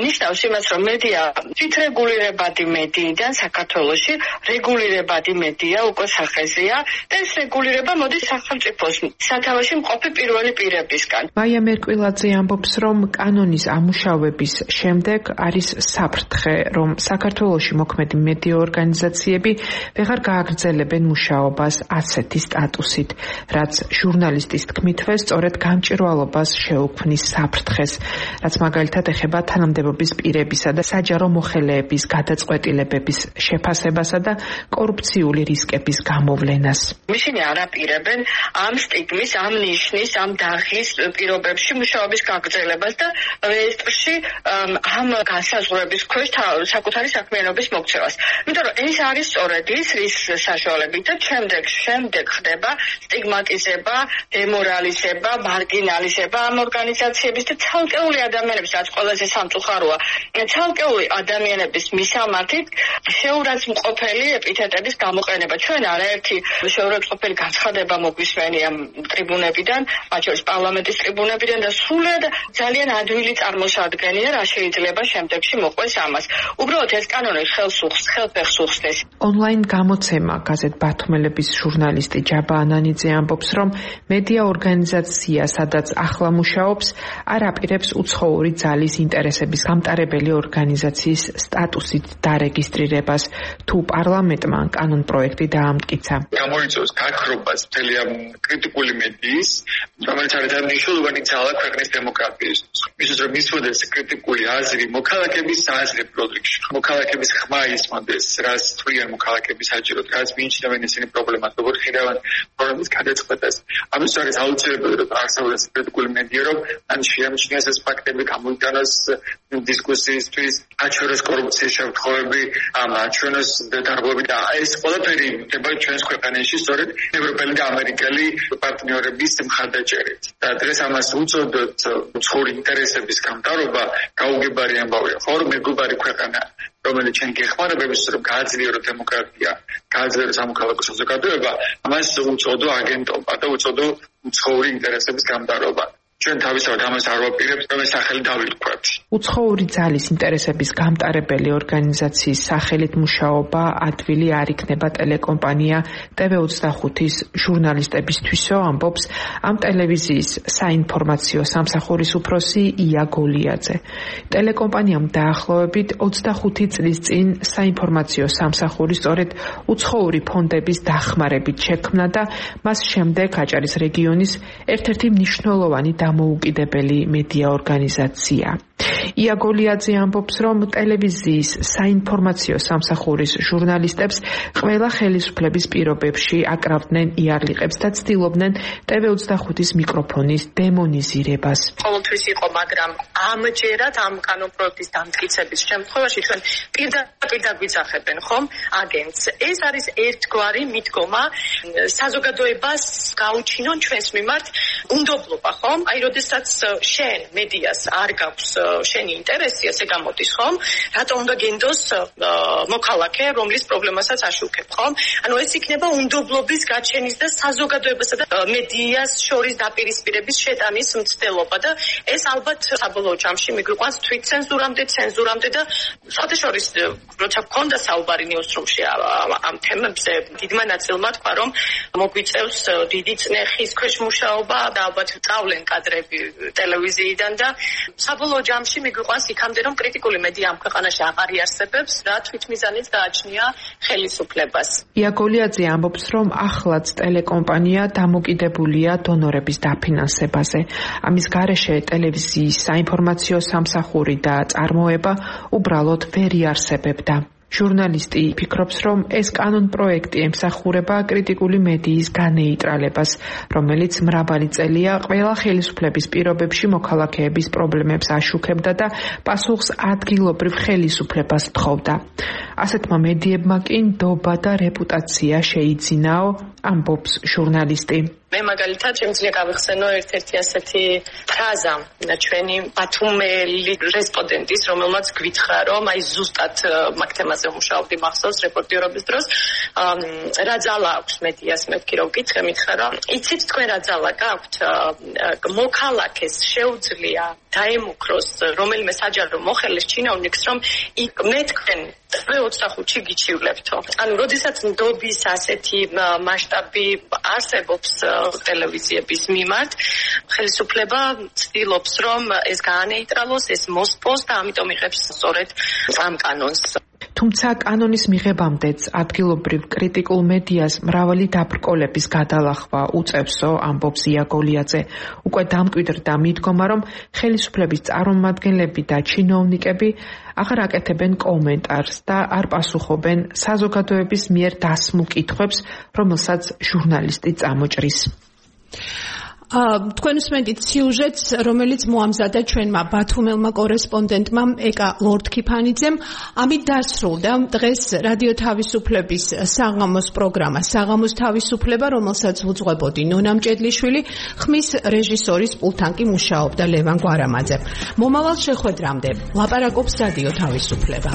ნიშნავს იმას, რომ მედია თვითრეგულირებადი მედიიდან საქართველოში რეგულირებადი მედია უკვე სახეზეა და ეს რეგულირება მოდის სახელმწიფოს სათავეში მყოფი პირველი პირებისგან.
მაია მერკვილაძე ამბობს, რომ კანონის ამუშავების შემდეგ არის საფრთხე, რომ საქართველოში მოქმედი მედია ორგანიზაციები ვეღარ გააგრძელებენ მუშაობას ასეთი სტატუსით, რაც ჟურნალისტის თქმითვე სწორედ გამჭვირვალობას შეუქმნის საფრთხეს, რაც მაგალითად ეხება თანამდებობის პირებისა და საჯარო მოხელეების გადაწყვეტილებების შეფასებასა და კორუფციული რისკების გამოვლენას.
ისინი არაპირებენ ამ სტიგმის, ამ ნიშნის, ამ დაღის პირობებში მუშაობის გაგრძელებას და რეესტრში ამ განსაზღვრების ქვეშ საკუთარი საქმიანობის მოქცევას. იმიტომ რომ ეს არის სწორედ ის, რის საშუალებით და შემდეგ ხდება სტიგმატიზება, დემორალიზება, მარგინალიზება ამ ორგანიზაციების და ცალკეული ადამიანების, რაც ყველაზე სამწუხაროა, ცალკეული ადამიანების მისამართით შეურაცხმყოფელი ეპითეტების გამოყენება. ჩვენ არაერთი შეურაცხმყოფელი განცხადება მოგვისმენია ტრიბუნებიდან, მათ შორის პარლამენტის ტრიბუნებიდან და სრულად ძალიან ადვილი წარმოსადგენია, რა შეიძლება შემდეგში მოყვეს ამას. უბრალოდ ეს კანონი ხელფეხს უხსნეს.
ონლაინ გამოცემა გაზეთ ბათუმელების ჟურნალისტი ჯაბა ანანიძე ამბობს, რომ მედია ორგანიზაცია, სადაც ახლა მუშაობს, არ აპირებს უცხოური ძალის ინტერესების გამტარებელი ორგანიზაციის სტატუსით დარეგისტრირებას, თუ პარლამენტმა კანონ პროექტი დაამტკიცა.
გამოიწვევს გაქრობას მთელი ამ კრიტიკული მედიის, რომელიც არის მნიშვნელოვანი ძალა ქვეყნის დემოკრატიისთვის. მისთვის რომ მისვოდეს კრიტიკული აზრი მოქალაქეების სააზრებო რიგში, მოქალაქეების ხმა ისმოდეს, რაც თვლიან მოქალაქეები საჭიროდ, რაც მიიჩნევენ ისინი პრობლემას, როგორ ხირავენ პრობლემის გადაწყვეტას. ამის არის აუცილებელი, რომ არსებობს კრიტიკული მედია, რომ ან შეამჩნიოს ეს ფაქტები, გამოიტანოს დისკუსიისთვის, აჩვენოს კორუფციის შემთხვევები, აჩვენოს დარღვევები და ეს ყველაფერი ხდება ჩვენს ქვეყანაში სწორედ ევროპელი და ამერიკელი პარტნიორების მხარდაჭერით. და დღეს ამას უწოდოთ უცხოური ინტერესების გამტარობა, გაუგებარი ამბავია. ხო, რომ მეგობარი ქვეყანა, რომელიც ჩვენ გეხმარებებს, რომ გააძლიერო დემოკრატია, გააძლიერო სამოქალაქო საზოგადოება, ამას უწოდო აგენტობა და უწოდო უცხოური ინტერესების გამტარობა. ჩვენ თავისთავად ამას არ ვაპირებთ, რომ ეს სახელი დავირქვათ.
უცხოური ძალის ინტერესების გამტარებელი ორგანიზაციის სახელით მუშაობა ადვილი არ იქნება ტელეკომპანია TV25-ის ჟურნალისტებისთვისო, ამბობს ამ ტელევიზიის საინფორმაციო სამსახურის უფროსი ია გოლიაძე. ტელეკომპანიამ დაახლოებით 25 წლის წინ საინფორმაციო სამსახური სწორედ უცხოური ფონდების დახმარებით შექმნა და მას შემდეგ აჭარის რეგიონის ერთ-ერთი მნიშვნელოვანი მოუკიდებელი მედია ორგანიზაცია. ია გოლიაძე ამბობს, რომ ტელევიზიის საინფორმაციო სამსახურის ჟურნალისტებს ყველა ხელისუფლების პირობებში აკრავდნენ იარლიყებს და ცდილობდნენ TV25-ის მიკროფონის დემონიზირებას.
ყოველთვის იყო, მაგრამ ამჯერად ამ კანონ პროექტის დამტკიცების შემთხვევაში ჩვენ პირდაპირ დაგვიძახებენ ხომ აგენტს. ეს არის ერთგვარი მიდგომა საზოგადოებას გაუჩინონ ჩვენს მიმართ უნდობლობა, ხომ? აი, როდესაც შენ მედიას არ გაქვს შენი ინტერესი, ესე გამოდის, ხომ? რატომ უნდა გენდოს მოქალაქე, რომლის პრობლემასაც აშუქებ, ხომ? ანუ ეს იქნება უნდობლობის გაჩენის და საზოგადოებასა და მედიას შორის დაპირისპირების შეტანის მცდელობა და ეს ალბათ საბოლოო ჯამში მიგვიყვანს თვითცენზურამდე და საერთაშორის როცა გქონდა საუბარი ნიუსრუმში ამ თემებზე, დიდმა ნაწილმა თქვა, რომ მოგვიწევს დიდი წნეხის ქვეშ მუშაობა და ალბათ წავლენ კადრები ტელევიზიიდან და საბოლოო ჯამში მიგვიყვანს იქამდე, რომ კრიტიკული მედია ამ ქვეყანაში აღარ იარსებებს, რა თვითმიზანით გააჩნია ხელისუფლებას.
ია გოლიაძე ამბობს, რომ ახლაც ტელეკომპანია დამოკიდებულია დონორების დაფინანსებაზე. ამის გარეშე ტელევიზიის საინფორმაციო სამსახური და წარმოება უბრალოდ ვერ იარსებებდა. ჟურნალისტი ფიქრობს, რომ ეს კანონ პროექტი ემსახურება კრიტიკული მედიის განეიტრალებას, რომელიც მრავალი წელია ყველა ხელისუფლების პირობებში მოქალაქეების პრობლემებს აშუქებდა და პასუხს ადგილობრივ ხელისუფლებას თხოვდა. ასეთმა მედიებმა კი ნდობა და რეპუტაცია შეიძინაო, ამბობს ჟურნალისტი.
მე მაგალითად შემიძლია გავიხსენო ერთ-ერთი ასეთი ფრაზა ჩვენი ბათუმელი რესპონდენტის, რომელმაც გვითხრა, რომ აი ზუსტად მაგ თემაზე მუშაობდი მახსოვს რეპორტირობის დროს, რა ძალა აქვს მედიას, მე ვქირო ვკითხე, მითხრა, რომ იცით თქვენ რა ძალა გაქვთ, მოქალაქეს შეუძლია დაემუქროს რომელიმე საჯარო მოხელეს ჩინოვნიკს, რომ მე თქვენ TV25-ში გიჩივლებთო. ანუ როდესაც ნდობის ასეთი მასშტაბი არსებობს ტელევიზიების მიმართ, ხელისუფლება ცდილობს, რომ ეს გაანეიტრალოს, ეს მოსპოს და ამიტომ იღებს სწორედ ამ კანონს.
თუმცა კანონის მიღებამდეც ადგილობრივ კრიტიკულ მედიას მრავალი დაბრკოლების გადალახვა უწევსო, ამბობს ია გოლიაძე. უკვე დამკვიდრდა მიდგომა, რომ ხელისუფლების წარმომადგენლები და ჩინოვნიკები აღარ აკეთებენ კომენტარს და არ პასუხობენ საზოგადოების მიერ დასმულ კითხვებს, რომელსაც ჟურნალისტი წამოჭრის.
თქვენ უსმენთ სიუჟეტს, რომელიც მოამზადა ჩვენმა ბათუმელმა კორესპონდენტმა ეკა ლორდქიფანიძემ. ამით დასრულდა დღეს რადიო თავისუფლების საღამოს პროგრამა საღამოს თავისუფლება, რომელსაც უძღვებოდი ნონა მჭედლიშვილი, ხმის რეჟისორის პულტთან კი მუშაობდა ლევან გვარამაძე. მომავალ შეხვედრამდე ლაპარაკობს რადიო თავისუფლება.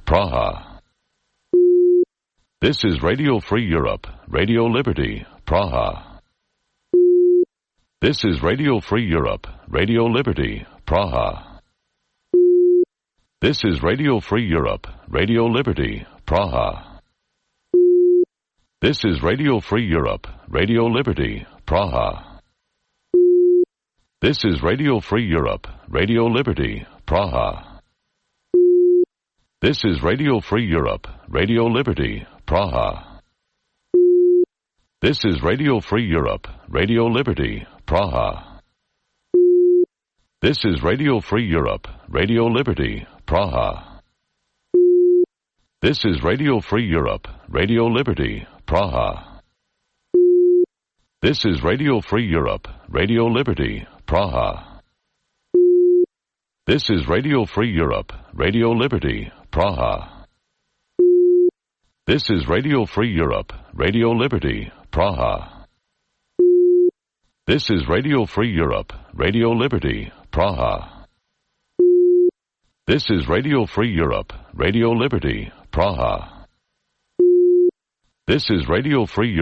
Praha. This is Radio Free Europe, Radio Liberty, Praha. This is Radio Free Europe, Radio Liberty, Praha. This is Radio Free Europe, Radio Liberty, Praha. This is Radio Free Europe, Radio Liberty, Praha. This is Radio Free Europe, Radio Liberty, Praha. This is Radio Free Europe, Radio Liberty, Praha. This is Radio Free Europe, Radio Liberty, Praha. This is Radio Free Europe, Radio Liberty, Praha. This is Radio Free Europe, Radio Liberty, Praha. This is Radio Free Europe, Radio Liberty, Praha. This is Radio Free Europe, Radio Liberty, Praha. This is Radio Free Europe, Radio Liberty, Praha. This is Radio Free Europe, Radio Liberty, Praha. This is Radio Free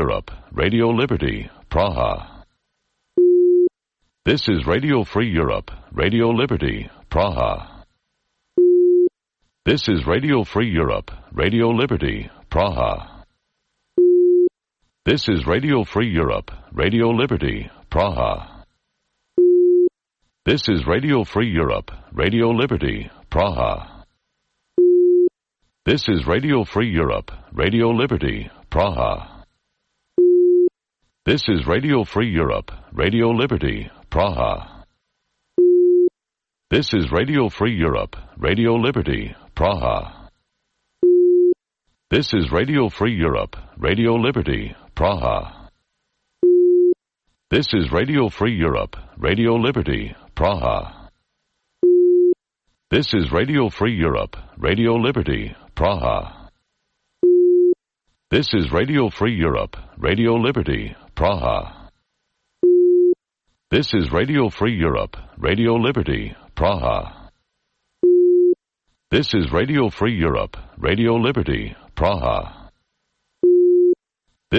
Europe, Radio Liberty, Praha. This is Radio Free Europe, Radio Liberty, Praha. This is Radio Free Europe, Radio Liberty, Praha. This is Radio Free Europe, Radio Liberty, Praha. This is Radio Free Europe, Radio Liberty, Praha. This is Radio Free Europe, Radio Liberty, Praha. This is Radio Free Europe, Radio Liberty, Praha. This is Radio Free Europe, Radio Liberty, Praha. This is Radio Free Europe, Radio Liberty, Praha. This is Radio Free Europe, Radio Liberty, Praha. This is Radio Free Europe, Radio Liberty, Praha. This is Radio Free Europe, Radio Liberty, Praha. This is Radio Free Europe, Radio Liberty, Praha. This is Radio Free Europe, Radio Liberty, Praha. This is Radio Free Europe, Radio Liberty, Praha.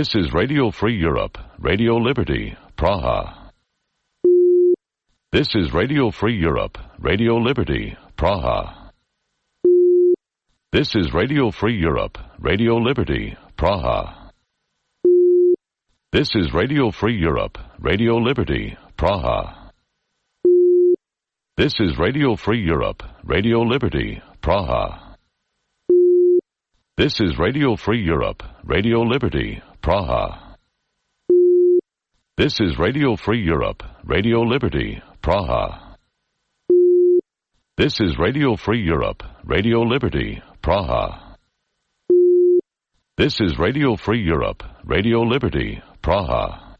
This is Radio Free Europe, Radio Liberty, Praha. This is Radio Free Europe, Radio Liberty, Praha. This is Radio Free Europe, Radio Liberty, Praha. This is Radio Free Europe, Radio Liberty, Praha. This is Radio Free Europe, Radio Liberty, Praha. This is Radio Free Europe, Radio Liberty, Praha. This is Radio Free Europe, Radio Liberty, Praha. This is Radio Free Europe, Radio Liberty, Praha. This is Radio Free Europe, Radio Liberty, Praha.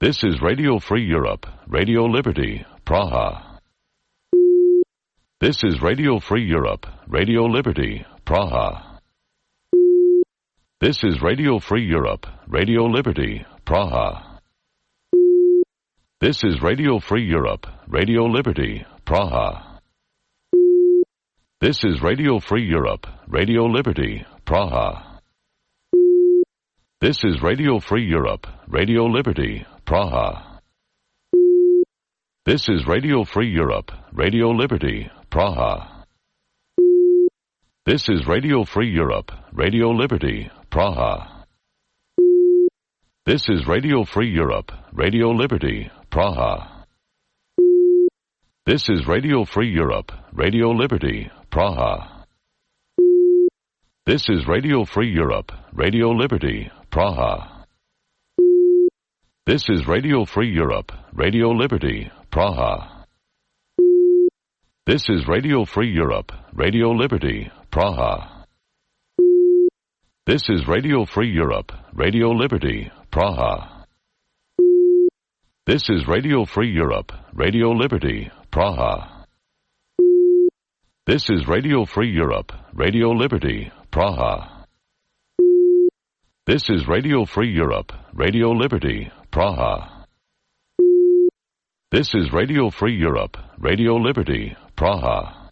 This is Radio Free Europe, Radio Liberty, Praha. This is Radio Free Europe, Radio Liberty, Praha. This is Radio Free Europe, Radio Liberty, Praha. This is Radio Free Europe, Radio Liberty, Praha. This is Radio Free Europe, Radio Liberty, Praha. This is Radio Free Europe, Radio Liberty, Praha. This is Radio Free Europe, Radio Liberty, Praha. This is Radio Free Europe, Radio Liberty, Praha. This is Radio Free Europe, Radio Liberty, Praha. This is Radio Free Europe, Radio Liberty, Praha. This is Radio Free Europe, Radio Liberty, Praha. This is Radio Free Europe, Radio Liberty, Praha. This is Radio Free Europe, Radio Liberty, Praha. This is Radio Free Europe, Radio Liberty, Praha. This is Radio Free Europe, Radio Liberty, Praha. This is Radio Free Europe, Radio Liberty, Praha. This is Radio Free Europe, Radio Liberty, Praha. This is Radio Free Europe, Radio Liberty, Praha.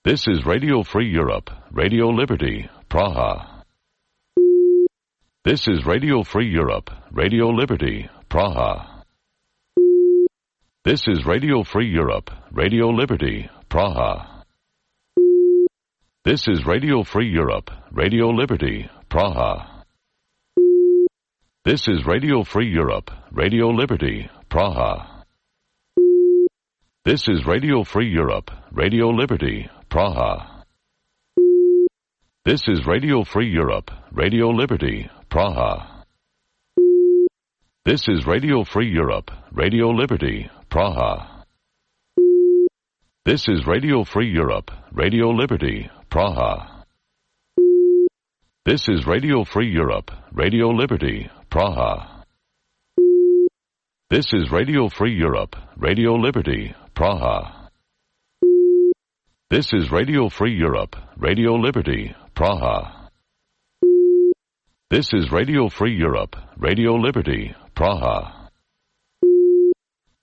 This is Radio Free Europe, Radio Liberty, Praha. This is Radio Free Europe, Radio Liberty, Praha. This is Radio Free Europe, Radio Liberty, Praha. This is Radio Free Europe, Radio Liberty, Praha. This is Radio Free Europe, Radio Liberty, Praha. This is Radio Free Europe, Radio Liberty, Praha. This is Radio Free Europe, Radio Liberty, Praha. This is Radio Free Europe, Radio Liberty, Praha. This is Radio Free Europe, Radio Liberty, Praha. This is Radio Free Europe, Radio Liberty, Praha. This is Radio Free Europe, Radio Liberty, Praha. This is Radio Free Europe, Radio Liberty, Praha. This is Radio Free Europe, Radio Liberty, Praha.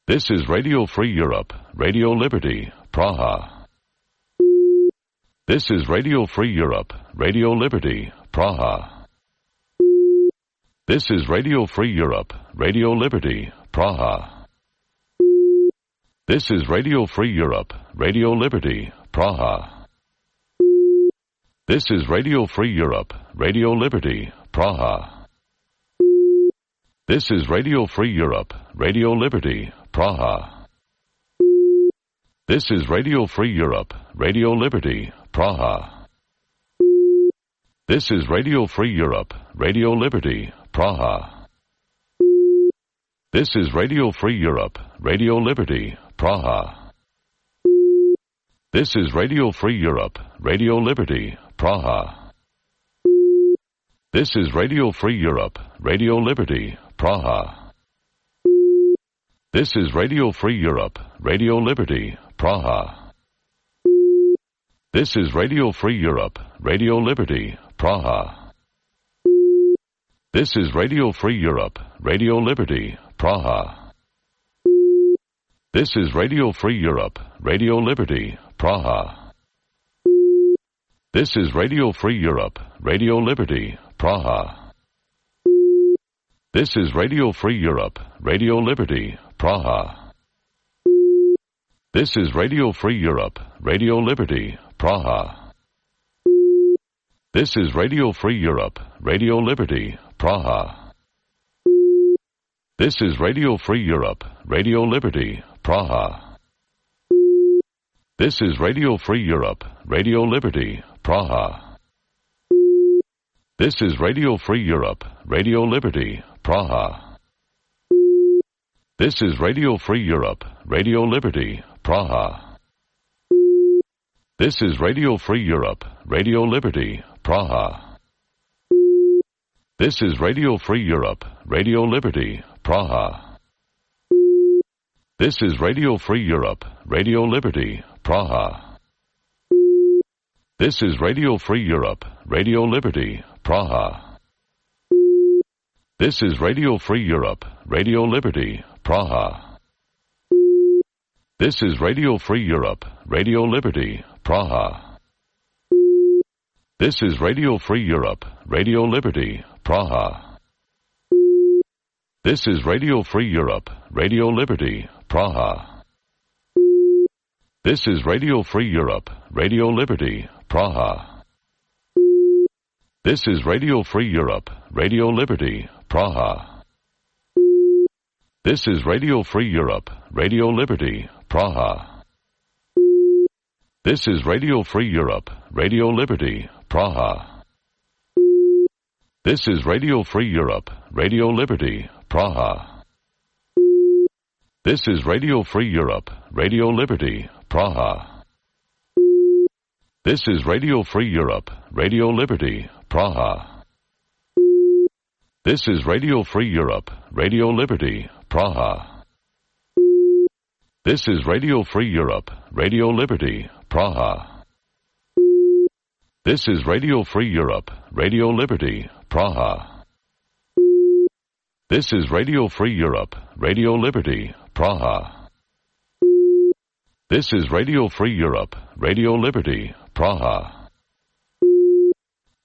This is Radio Free Europe, Radio Liberty, Praha. This is Radio Free Europe, Radio Liberty, Praha. This is Radio Free Europe, Radio Liberty, Praha. This is Radio Free Europe, Radio Liberty, Praha. This is Radio Free Europe, Radio Liberty, Praha. This is Radio Free Europe, Radio Liberty, Praha. This is Radio Free Europe, Radio Liberty, Praha. This is Radio Free Europe, Radio Liberty, Praha. This is Radio Free Europe, Radio Liberty, Praha. This is Radio Free Europe, Radio Liberty, Praha. This is Radio Free Europe, Radio Liberty, Praha. This is Radio Free Europe, Radio Liberty, Praha. This is Radio Free Europe, Radio Liberty, Praha. This is Radio Free Europe, Radio Liberty, Praha. This is Radio Free Europe, Radio Liberty, Praha. This is Radio Free Europe, Radio Liberty, Praha. This is Radio Free Europe, Radio Liberty, Praha. This is Radio Free Europe, Radio Liberty, Praha. This is Radio Free Europe, Radio Liberty, Praha. This is Radio Free Europe, Radio Liberty, Praha. This is Radio Free Europe, Radio Liberty, Praha. This is Radio Free Europe, Radio Liberty, Praha. This is Radio Free Europe, Radio Liberty, Praha. This is Radio Free Europe, Radio Liberty, Praha. This is Radio Free Europe, Radio Liberty, Praha. This is Radio Free Europe, Radio Liberty, Praha. This is Radio Free Europe, Radio Liberty, Praha. This is Radio Free Europe, Radio Liberty, Praha. This is Radio Free Europe, Radio Liberty, Praha. This is Radio Free Europe, Radio Liberty, Praha. This is Radio Free Europe, Radio Liberty, Praha. This is Radio Free Europe, Radio Liberty, Praha. This is Radio Free Europe, Radio Liberty, Praha. This is Radio Free Europe, Radio Liberty, Praha. This is Radio Free Europe, Radio Liberty, Praha. This is Radio Free Europe, Radio Liberty, Praha. This is Radio Free Europe, Radio Liberty, Praha. This is Radio Free Europe, Radio Liberty, Praha. This is Radio Free Europe, Radio Liberty, Praha. This is Radio Free Europe, Radio Liberty, Praha. This is Radio Free Europe, Radio Liberty, Praha. This is Radio Free Europe, Radio Liberty, Praha. This is Radio Free Europe, Radio Liberty, Praha.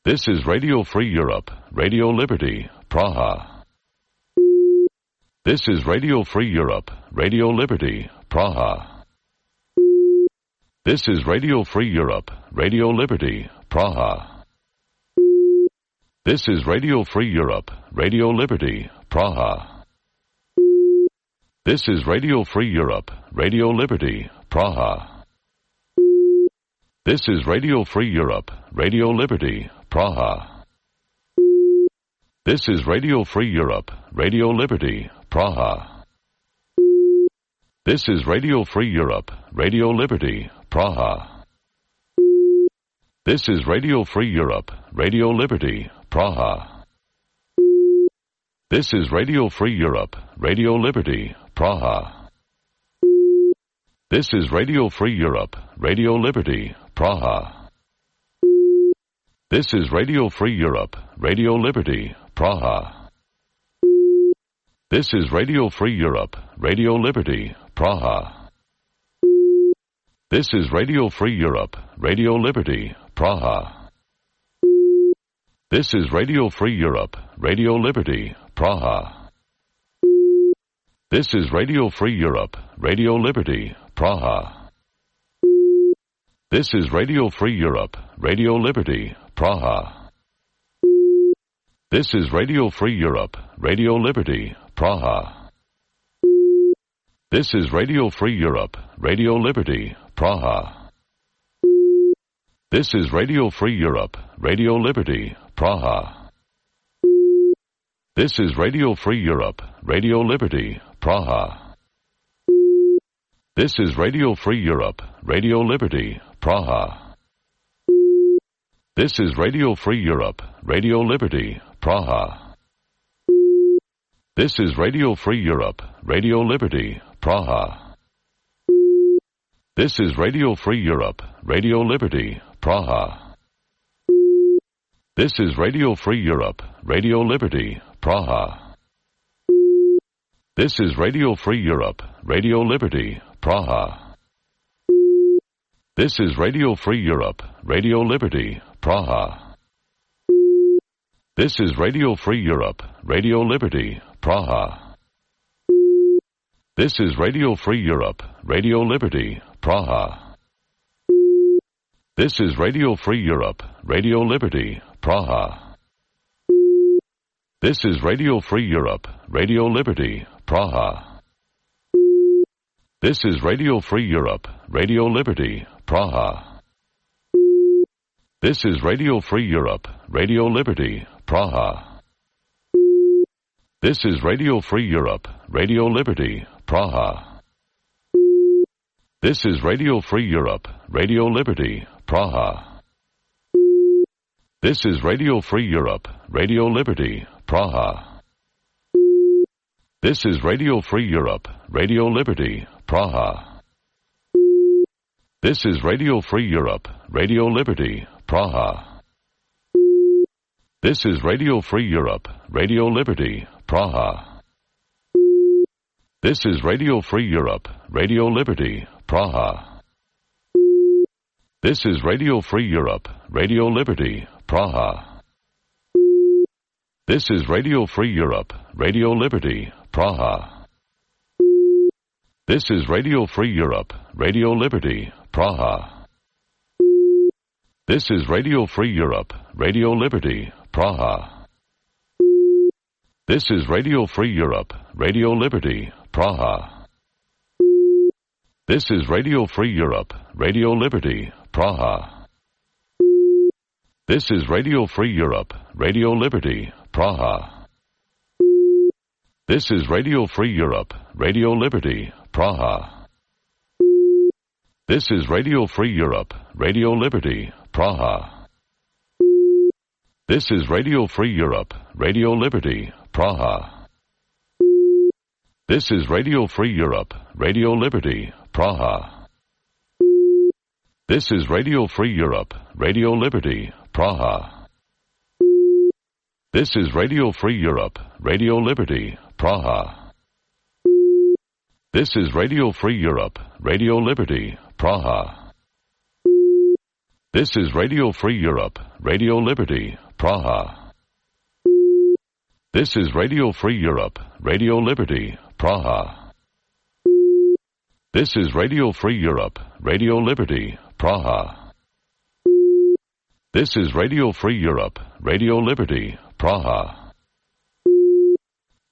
This is Radio Free Europe, Radio Liberty, Praha. This is Radio Free Europe, Radio Liberty, Praha. This is Radio Free Europe, Radio Liberty, Praha. This is Radio Free Europe, Radio Liberty, Praha. This is Radio Free Europe, Radio Liberty, Praha. This is Radio Free Europe, Radio Liberty, Praha. This is Radio Free Europe, Radio Liberty, Praha. This is Radio Free Europe, Radio Liberty, Praha. This is Radio Free Europe, Radio Liberty, Praha. This is Radio Free Europe, Radio Liberty, Praha. This is Radio Free Europe, Radio Liberty, Praha. This is Radio Free Europe, Radio Liberty, Praha. This is Radio Free Europe, Radio Liberty, Praha. This is Radio Free Europe, Radio Liberty, Praha. This is Radio Free Europe, Radio Liberty, Praha. This is Radio Free Europe, Radio Liberty, Praha. This is Radio Free Europe, Radio Liberty, Praha. This is Radio Free Europe, Radio Liberty, Praha. This is Radio Free Europe, Radio Liberty, Praha. This is Radio Free Europe, Radio Liberty, Praha. This is Radio Free Europe, Radio Liberty, Praha. This is Radio Free Europe, Radio Liberty, Praha. This is Radio Free Europe, Radio Liberty, Praha. This is Radio Free Europe, Radio Liberty, Praha. This is Radio Free Europe, Radio Liberty, Praha. This is Radio Free Europe, Radio Liberty, Praha. This is Radio Free Europe, Radio Liberty, Praha. This is Radio Free Europe, Radio Liberty, Praha. This is Radio Free Europe, Radio Liberty, Praha. This is Radio Free Europe, Radio Liberty, Praha. This is Radio Free Europe, Radio Liberty, Praha. This is Radio Free Europe, Radio Liberty, Praha. This is Radio Free Europe, Radio Liberty, Praha. This is Radio Free Europe, Radio Liberty, Praha. This is Radio Free Europe, Radio Liberty, Praha. This is Radio Free Europe, Radio Liberty, Praha. This is Radio Free Europe, Radio Liberty, Praha. This is Radio Free Europe, Radio Liberty, Praha. This is Radio Free Europe, Radio Liberty, Praha. This is Radio Free Europe, Radio Liberty, Praha. This is Radio Free Europe, Radio Liberty, Praha. This is Radio Free Europe, Radio Liberty, Praha. This is Radio Free Europe, Radio Liberty, Praha. This is Radio Free Europe, Radio Liberty, Praha. This is Radio Free Europe, Radio Liberty, Praha. This is Radio Free Europe, Radio Liberty, Praha. This is Radio Free Europe, Radio Liberty, Praha. This is Radio Free Europe, Radio Liberty, Praha. This is Radio Free Europe, Radio Liberty, Praha. This is Radio Free Europe, Radio Liberty, Praha. This is Radio Free Europe, Radio Liberty, Praha. This is Radio Free Europe, Radio Liberty, Praha. This is Radio Free Europe, Radio Liberty, Praha. This is Radio Free Europe, Radio Liberty, Praha. This is Radio Free Europe, Radio Liberty, Praha. This is Radio Free Europe, Radio Liberty, Praha. This is Radio Free Europe, Radio Liberty, Praha. This is Radio Free Europe, Radio Liberty, Praha. This is Radio Free Europe, Radio Liberty, Praha.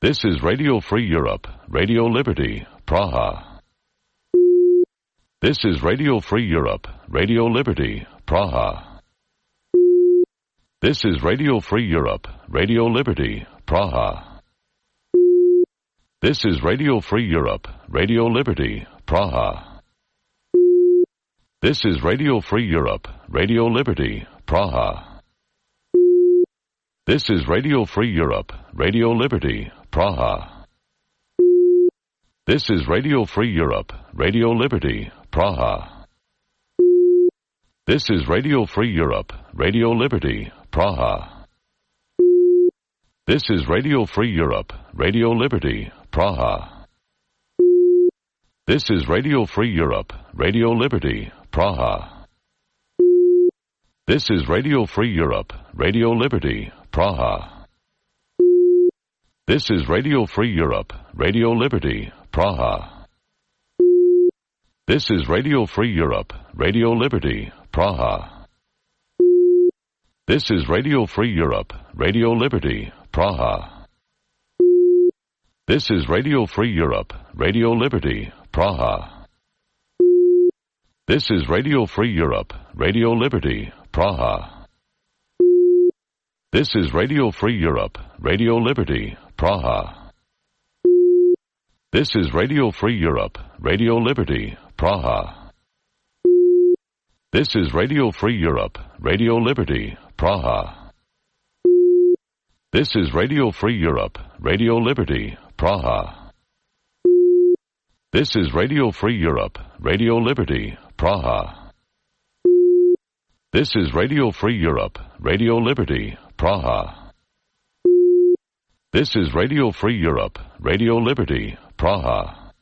This is Radio Free Europe, Radio Liberty, Praha. This is Radio Free Europe, Radio Liberty, Praha. This is Radio Free Europe, Radio Liberty, Praha. This is Radio Free Europe, Radio Liberty, Praha. This is Radio Free Europe, Radio Liberty, Praha. This is Radio Free Europe, Radio Liberty, Praha. This is Radio Free Europe, Radio Liberty, Praha. This is Radio Free Europe, Radio Liberty, Praha. This is Radio Free Europe, Radio Liberty, Praha. This is Radio Free Europe, Radio Liberty, Praha. This is Radio Free Europe, Radio Liberty, Praha. This is Radio Free Europe, Radio Liberty, Praha. This is Radio Free Europe, Radio Liberty, Praha. This is Radio Free Europe, Radio Liberty, Praha. This is Radio Free Europe, Radio Liberty, Praha. This is Radio Free Europe, Radio Liberty, Praha. This is Radio Free Europe, Radio Liberty, Praha. This is Radio Free Europe, Radio Liberty, Praha. This is Radio Free Europe, Radio Liberty, Praha. This is Radio Free Europe, Radio Liberty, Praha. This is Radio Free Europe, Radio Liberty, Praha. This is Radio Free Europe, Radio Liberty, Praha. This is Radio Free Europe, Radio Liberty, Praha.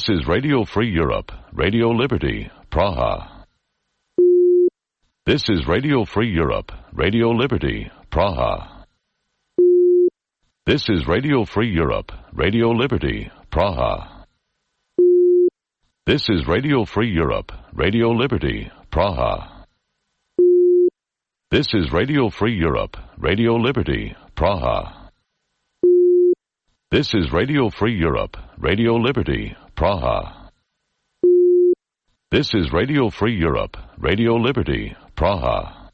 This is Radio Free Europe, Radio Liberty, Praha. This is Radio Free Europe, Radio Liberty, Praha. This is Radio Free Europe, Radio Liberty, Praha. This is Radio Free Europe, Radio Liberty, Praha. This is Radio Free Europe, Radio Liberty, Praha. This is Radio Free Europe, Radio Liberty, Praha. This is Radio Free Europe, Radio Liberty, Praha.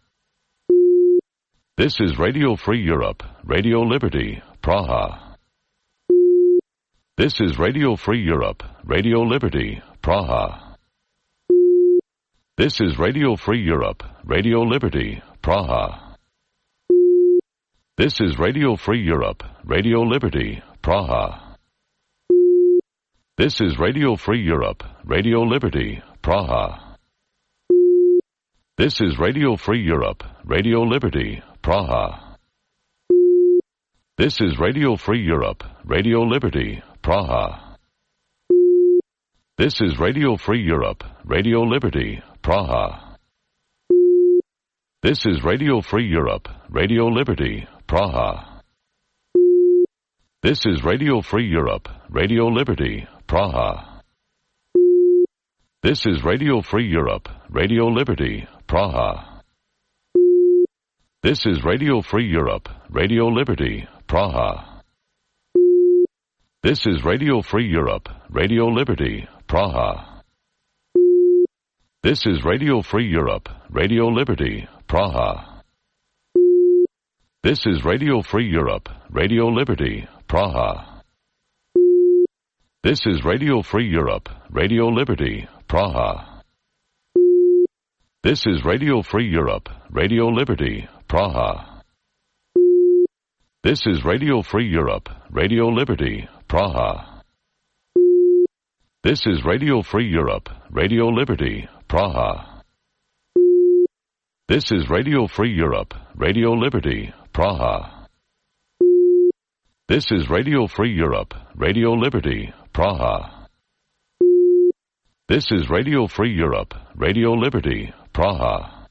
This is Radio Free Europe, Radio Liberty, Praha. This is Radio Free Europe, Radio Liberty, Praha. This is Radio Free Europe, Radio Liberty, Praha. This is Radio Free Europe, Radio Liberty, Praha. This is Radio Free Europe, Radio Liberty, Praha. This is Radio Free Europe, Radio Liberty, Praha. This is Radio Free Europe, Radio Liberty, Praha. This is Radio Free Europe, Radio Liberty, Praha. This is Radio Free Europe, Radio Liberty, Praha. This is Radio Free Europe, Radio Liberty, Praha. This is Radio Free Europe, Radio Liberty, Praha. This is Radio Free Europe, Radio Liberty, Praha. This is Radio Free Europe, Radio Liberty, Praha. This is Radio Free Europe, Radio Liberty, Praha. This is Radio Free Europe, Radio Liberty, Praha. This is Radio Free Europe, Radio Liberty, Praha. This is Radio Free Europe, Radio Liberty, Praha. This is Radio Free Europe, Radio Liberty, Praha. This is Radio Free Europe, Radio Liberty, Praha. This is Radio Free Europe, Radio Liberty, Praha. This is Radio Free Europe, Radio Liberty, Praha. This is Radio Free Europe, Radio Liberty, Praha.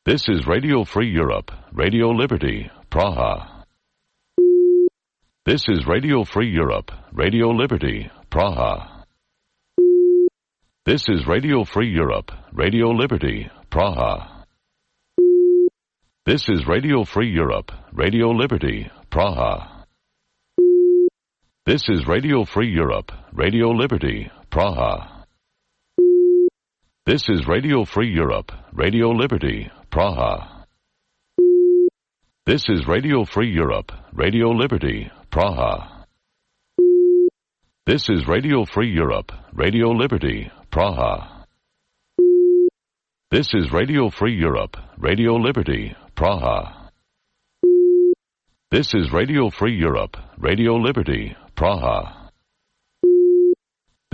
This is Radio Free Europe, Radio Liberty, Praha. This is Radio Free Europe, Radio Liberty, Praha. This is Radio Free Europe, Radio Liberty, Praha. This is Radio Free Europe, Radio Liberty, Praha. This is Radio Free Europe, Radio Liberty, Praha. This is Radio Free Europe, Radio Liberty, Praha. This is Radio Free Europe, Radio Liberty, Praha. This is Radio Free Europe, Radio Liberty, Praha. This is Radio Free Europe, Radio Liberty, Praha. This is Radio Free Europe, Radio Liberty, Praha.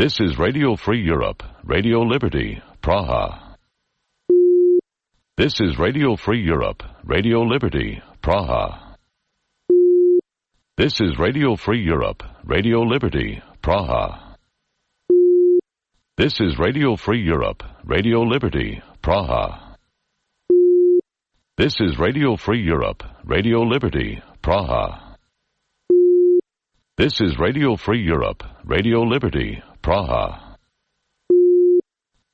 This is Radio Free Europe, Radio Liberty, Praha. This is Radio Free Europe, Radio Liberty, Praha. This is Radio Free Europe, Radio Liberty, Praha. This is Radio Free Europe, Radio Liberty, Praha. This is Radio Free Europe, Radio Liberty, Praha. This is Radio Free Europe, Radio Liberty, Praha.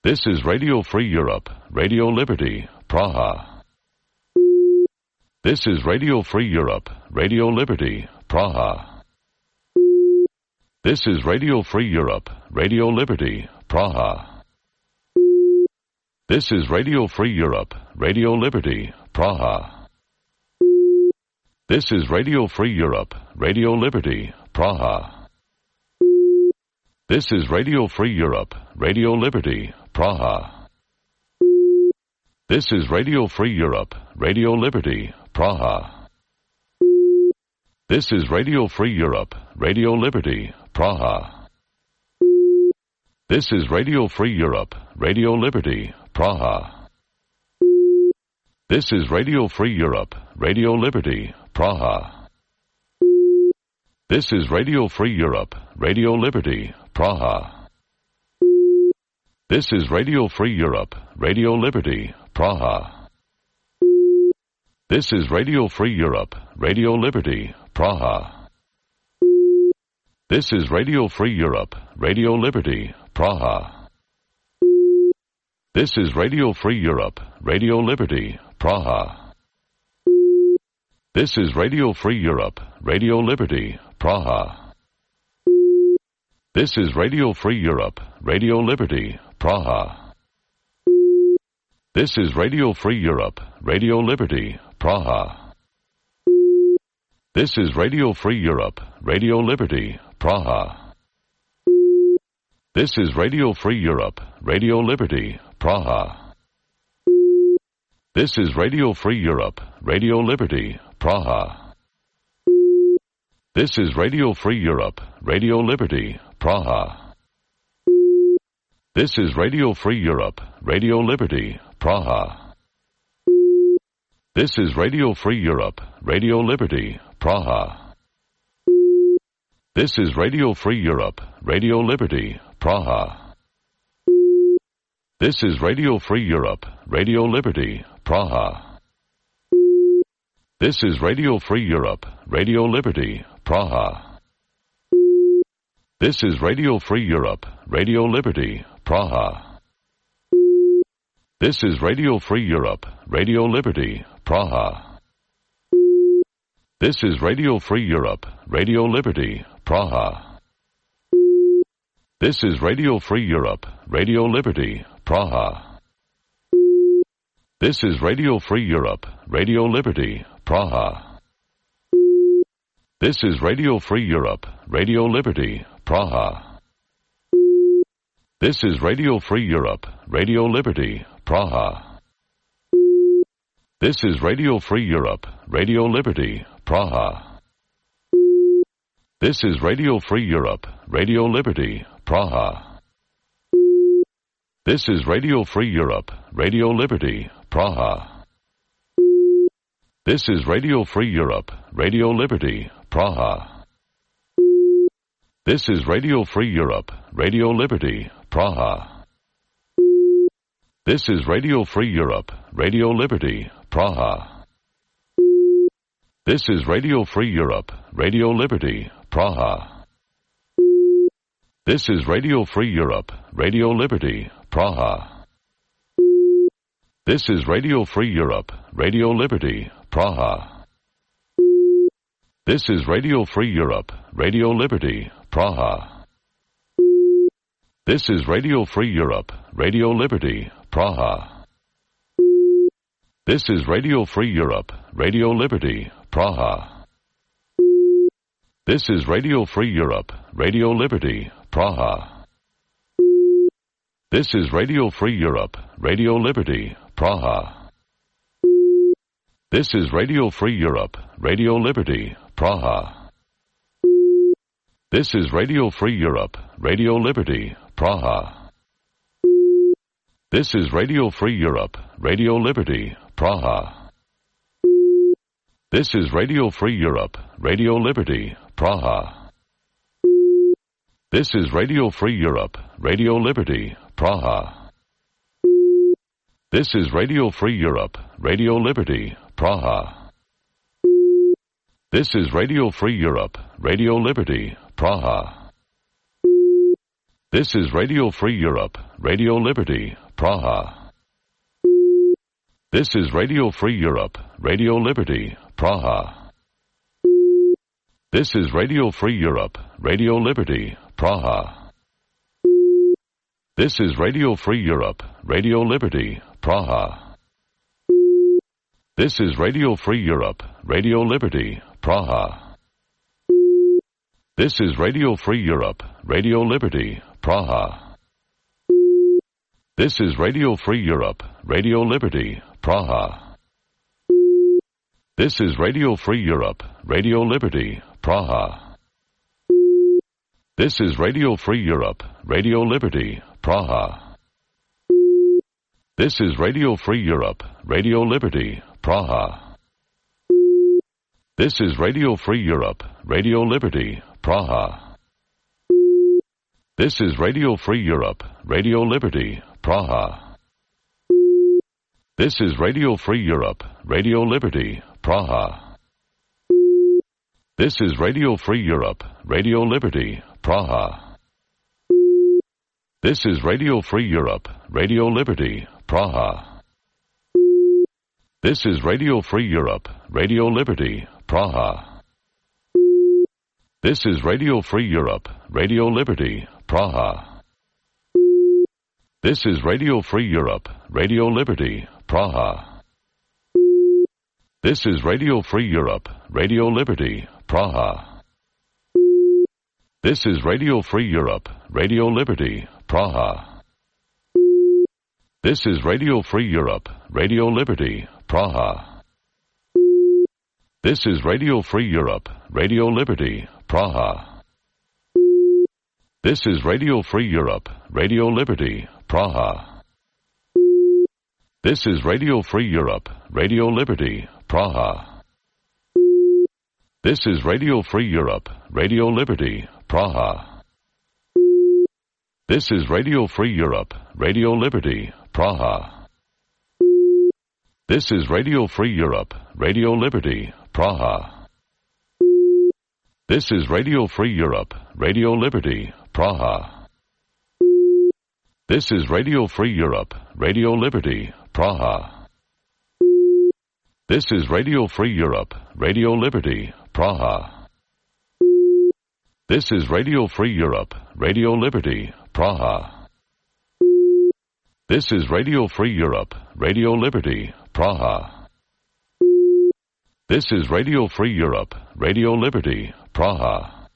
This is Radio Free Europe, Radio Liberty, Praha. This is Radio Free Europe, Radio Liberty, Praha. This is Radio Free Europe, Radio Liberty, Praha. This is Radio Free Europe, Radio Liberty, Praha. This is Radio Free Europe, Radio Liberty, Praha. This is Radio Free Europe, Radio Liberty, Praha. This is Radio Free Europe, Radio Liberty, Praha. This is Radio Free Europe, Radio Liberty, Praha. This is Radio Free Europe, Radio Liberty, Praha. This is Radio Free Europe, Radio Liberty, Praha. This is Radio Free Europe, Radio Liberty, Praha. This is Radio Free Europe, Radio Liberty, Praha. This is Radio Free Europe, Radio Liberty, Praha. This is Radio Free Europe, Radio Liberty, Praha. This is Radio Free Europe, Radio Liberty, Praha. This is Radio Free Europe, Radio Liberty, Praha. This is Radio Free Europe, Radio Liberty, Praha. This is Radio Free Europe, Radio Liberty, Praha. This is Radio Free Europe, Radio Liberty, Praha. This is Radio Free Europe, Radio Liberty, Praha. This is Radio Free Europe, Radio Liberty, Praha. This is Radio Free Europe, Radio Liberty, Praha. This is Radio Free Europe, Radio Liberty, Praha. This is Radio Free Europe, Radio Liberty, Praha. This is Radio Free Europe, Radio Liberty, Praha. This is Radio Free Europe, Radio Liberty, Praha. This is Radio Free Europe, Radio Liberty, Praha. This is Radio Free Europe, Radio Liberty, Praha. This is Radio Free Europe, Radio Liberty, Praha. This is Radio Free Europe, Radio Liberty, Praha. This is Radio Free Europe, Radio Liberty, Praha. This is Radio Free Europe, Radio Liberty, Praha. This is Radio Free Europe, Radio Liberty, Praha. This is Radio Free Europe, Radio Liberty, Praha. This is Radio Free Europe, Radio Liberty, Praha. This is Radio Free Europe, Radio Liberty, Praha. This is Radio Free Europe, Radio Liberty, Praha. This is Radio Free Europe, Radio Liberty, Praha. This is Radio Free Europe, Radio Liberty, Praha. This is Radio Free Europe, Radio Liberty, Praha. This is Radio Free Europe, Radio Liberty, Praha. This is Radio Free Europe, Radio Liberty, Praha. This is Radio Free Europe, Radio Liberty, Praha. This is Radio Free Europe, Radio Liberty, Praha. This is Radio Free Europe, Radio Liberty, Praha. This is Radio Free Europe, Radio Liberty, Praha. This is Radio Free Europe, Radio Liberty, Praha. This is Radio Free Europe, Radio Liberty, Praha. This is Radio Free Europe, Radio Liberty, Praha. This is Radio Free Europe, Radio Liberty, Praha. This is Radio Free Europe, Radio Liberty, Praha. This is Radio Free Europe, Radio Liberty, Praha. This is Radio Free Europe, Radio Liberty, Praha. This is Radio Free Europe, Radio Liberty, Praha. This is Radio Free Europe, Radio Liberty, Praha. This is Radio Free Europe, Radio Liberty, Praha. This is Radio Free Europe, Radio Liberty, Praha. This is Radio Free Europe, Radio Liberty, Praha. This is Radio Free Europe, Radio Liberty, Praha. This is Radio Free Europe, Radio Liberty, Praha. This is Radio Free Europe, Radio Liberty, Praha. This is Radio Free Europe, Radio Liberty, Praha. This is Radio Free Europe, Radio Liberty, Praha. This is Radio Free Europe, Radio Liberty, Praha. This is Radio Free Europe, Radio Liberty, Praha. This is Radio Free Europe, Radio Liberty, Praha. This is Radio Free Europe, Radio Liberty, Praha. This is Radio Free Europe, Radio Liberty, Praha. This is Radio Free Europe, Radio Liberty, Praha. This is Radio Free Europe, Radio Liberty, Praha. This is Radio Free Europe, Radio Liberty, Praha. This is Radio Free Europe, Radio Liberty, Praha. This is Radio Free Europe, Radio Liberty, Praha. This is Radio Free Europe, Radio Liberty, Praha. This is Radio Free Europe, Radio Liberty, Praha. This is Radio Free Europe, Radio Liberty, Praha. This is Radio Free Europe, Radio Liberty, Praha. This is Radio Free Europe, Radio Liberty, Praha. This is Radio Free Europe, Radio Liberty, Praha. This is Radio Free Europe, Radio Liberty, Praha. This is Radio Free Europe, Radio Liberty, Praha. This is Radio Free Europe, Radio Liberty, Praha. This is Radio Free Europe, Radio Liberty, Praha. This is Radio Free Europe, Radio Liberty, Praha. This is Radio Free Europe, Radio Liberty, Praha. This is Radio Free Europe, Radio Liberty, Praha. This is Radio Free Europe, Radio Liberty, Praha. This is Radio Free Europe, Radio Liberty, Praha.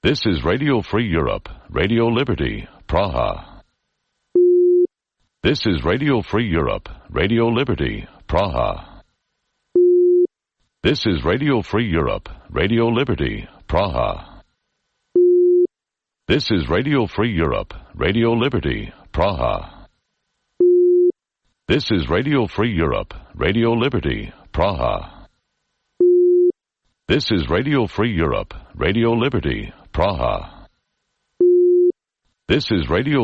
This is Radio Free Europe, Radio Liberty, Praha. This is Radio Free Europe, Radio Liberty, Praha. This is Radio Free Europe, Radio Liberty, Praha. This is Radio Free Europe, Radio Liberty, Praha. This is Radio Free Europe, Radio Liberty, Praha. This is Radio Free Europe, Radio Liberty, Praha. This is Radio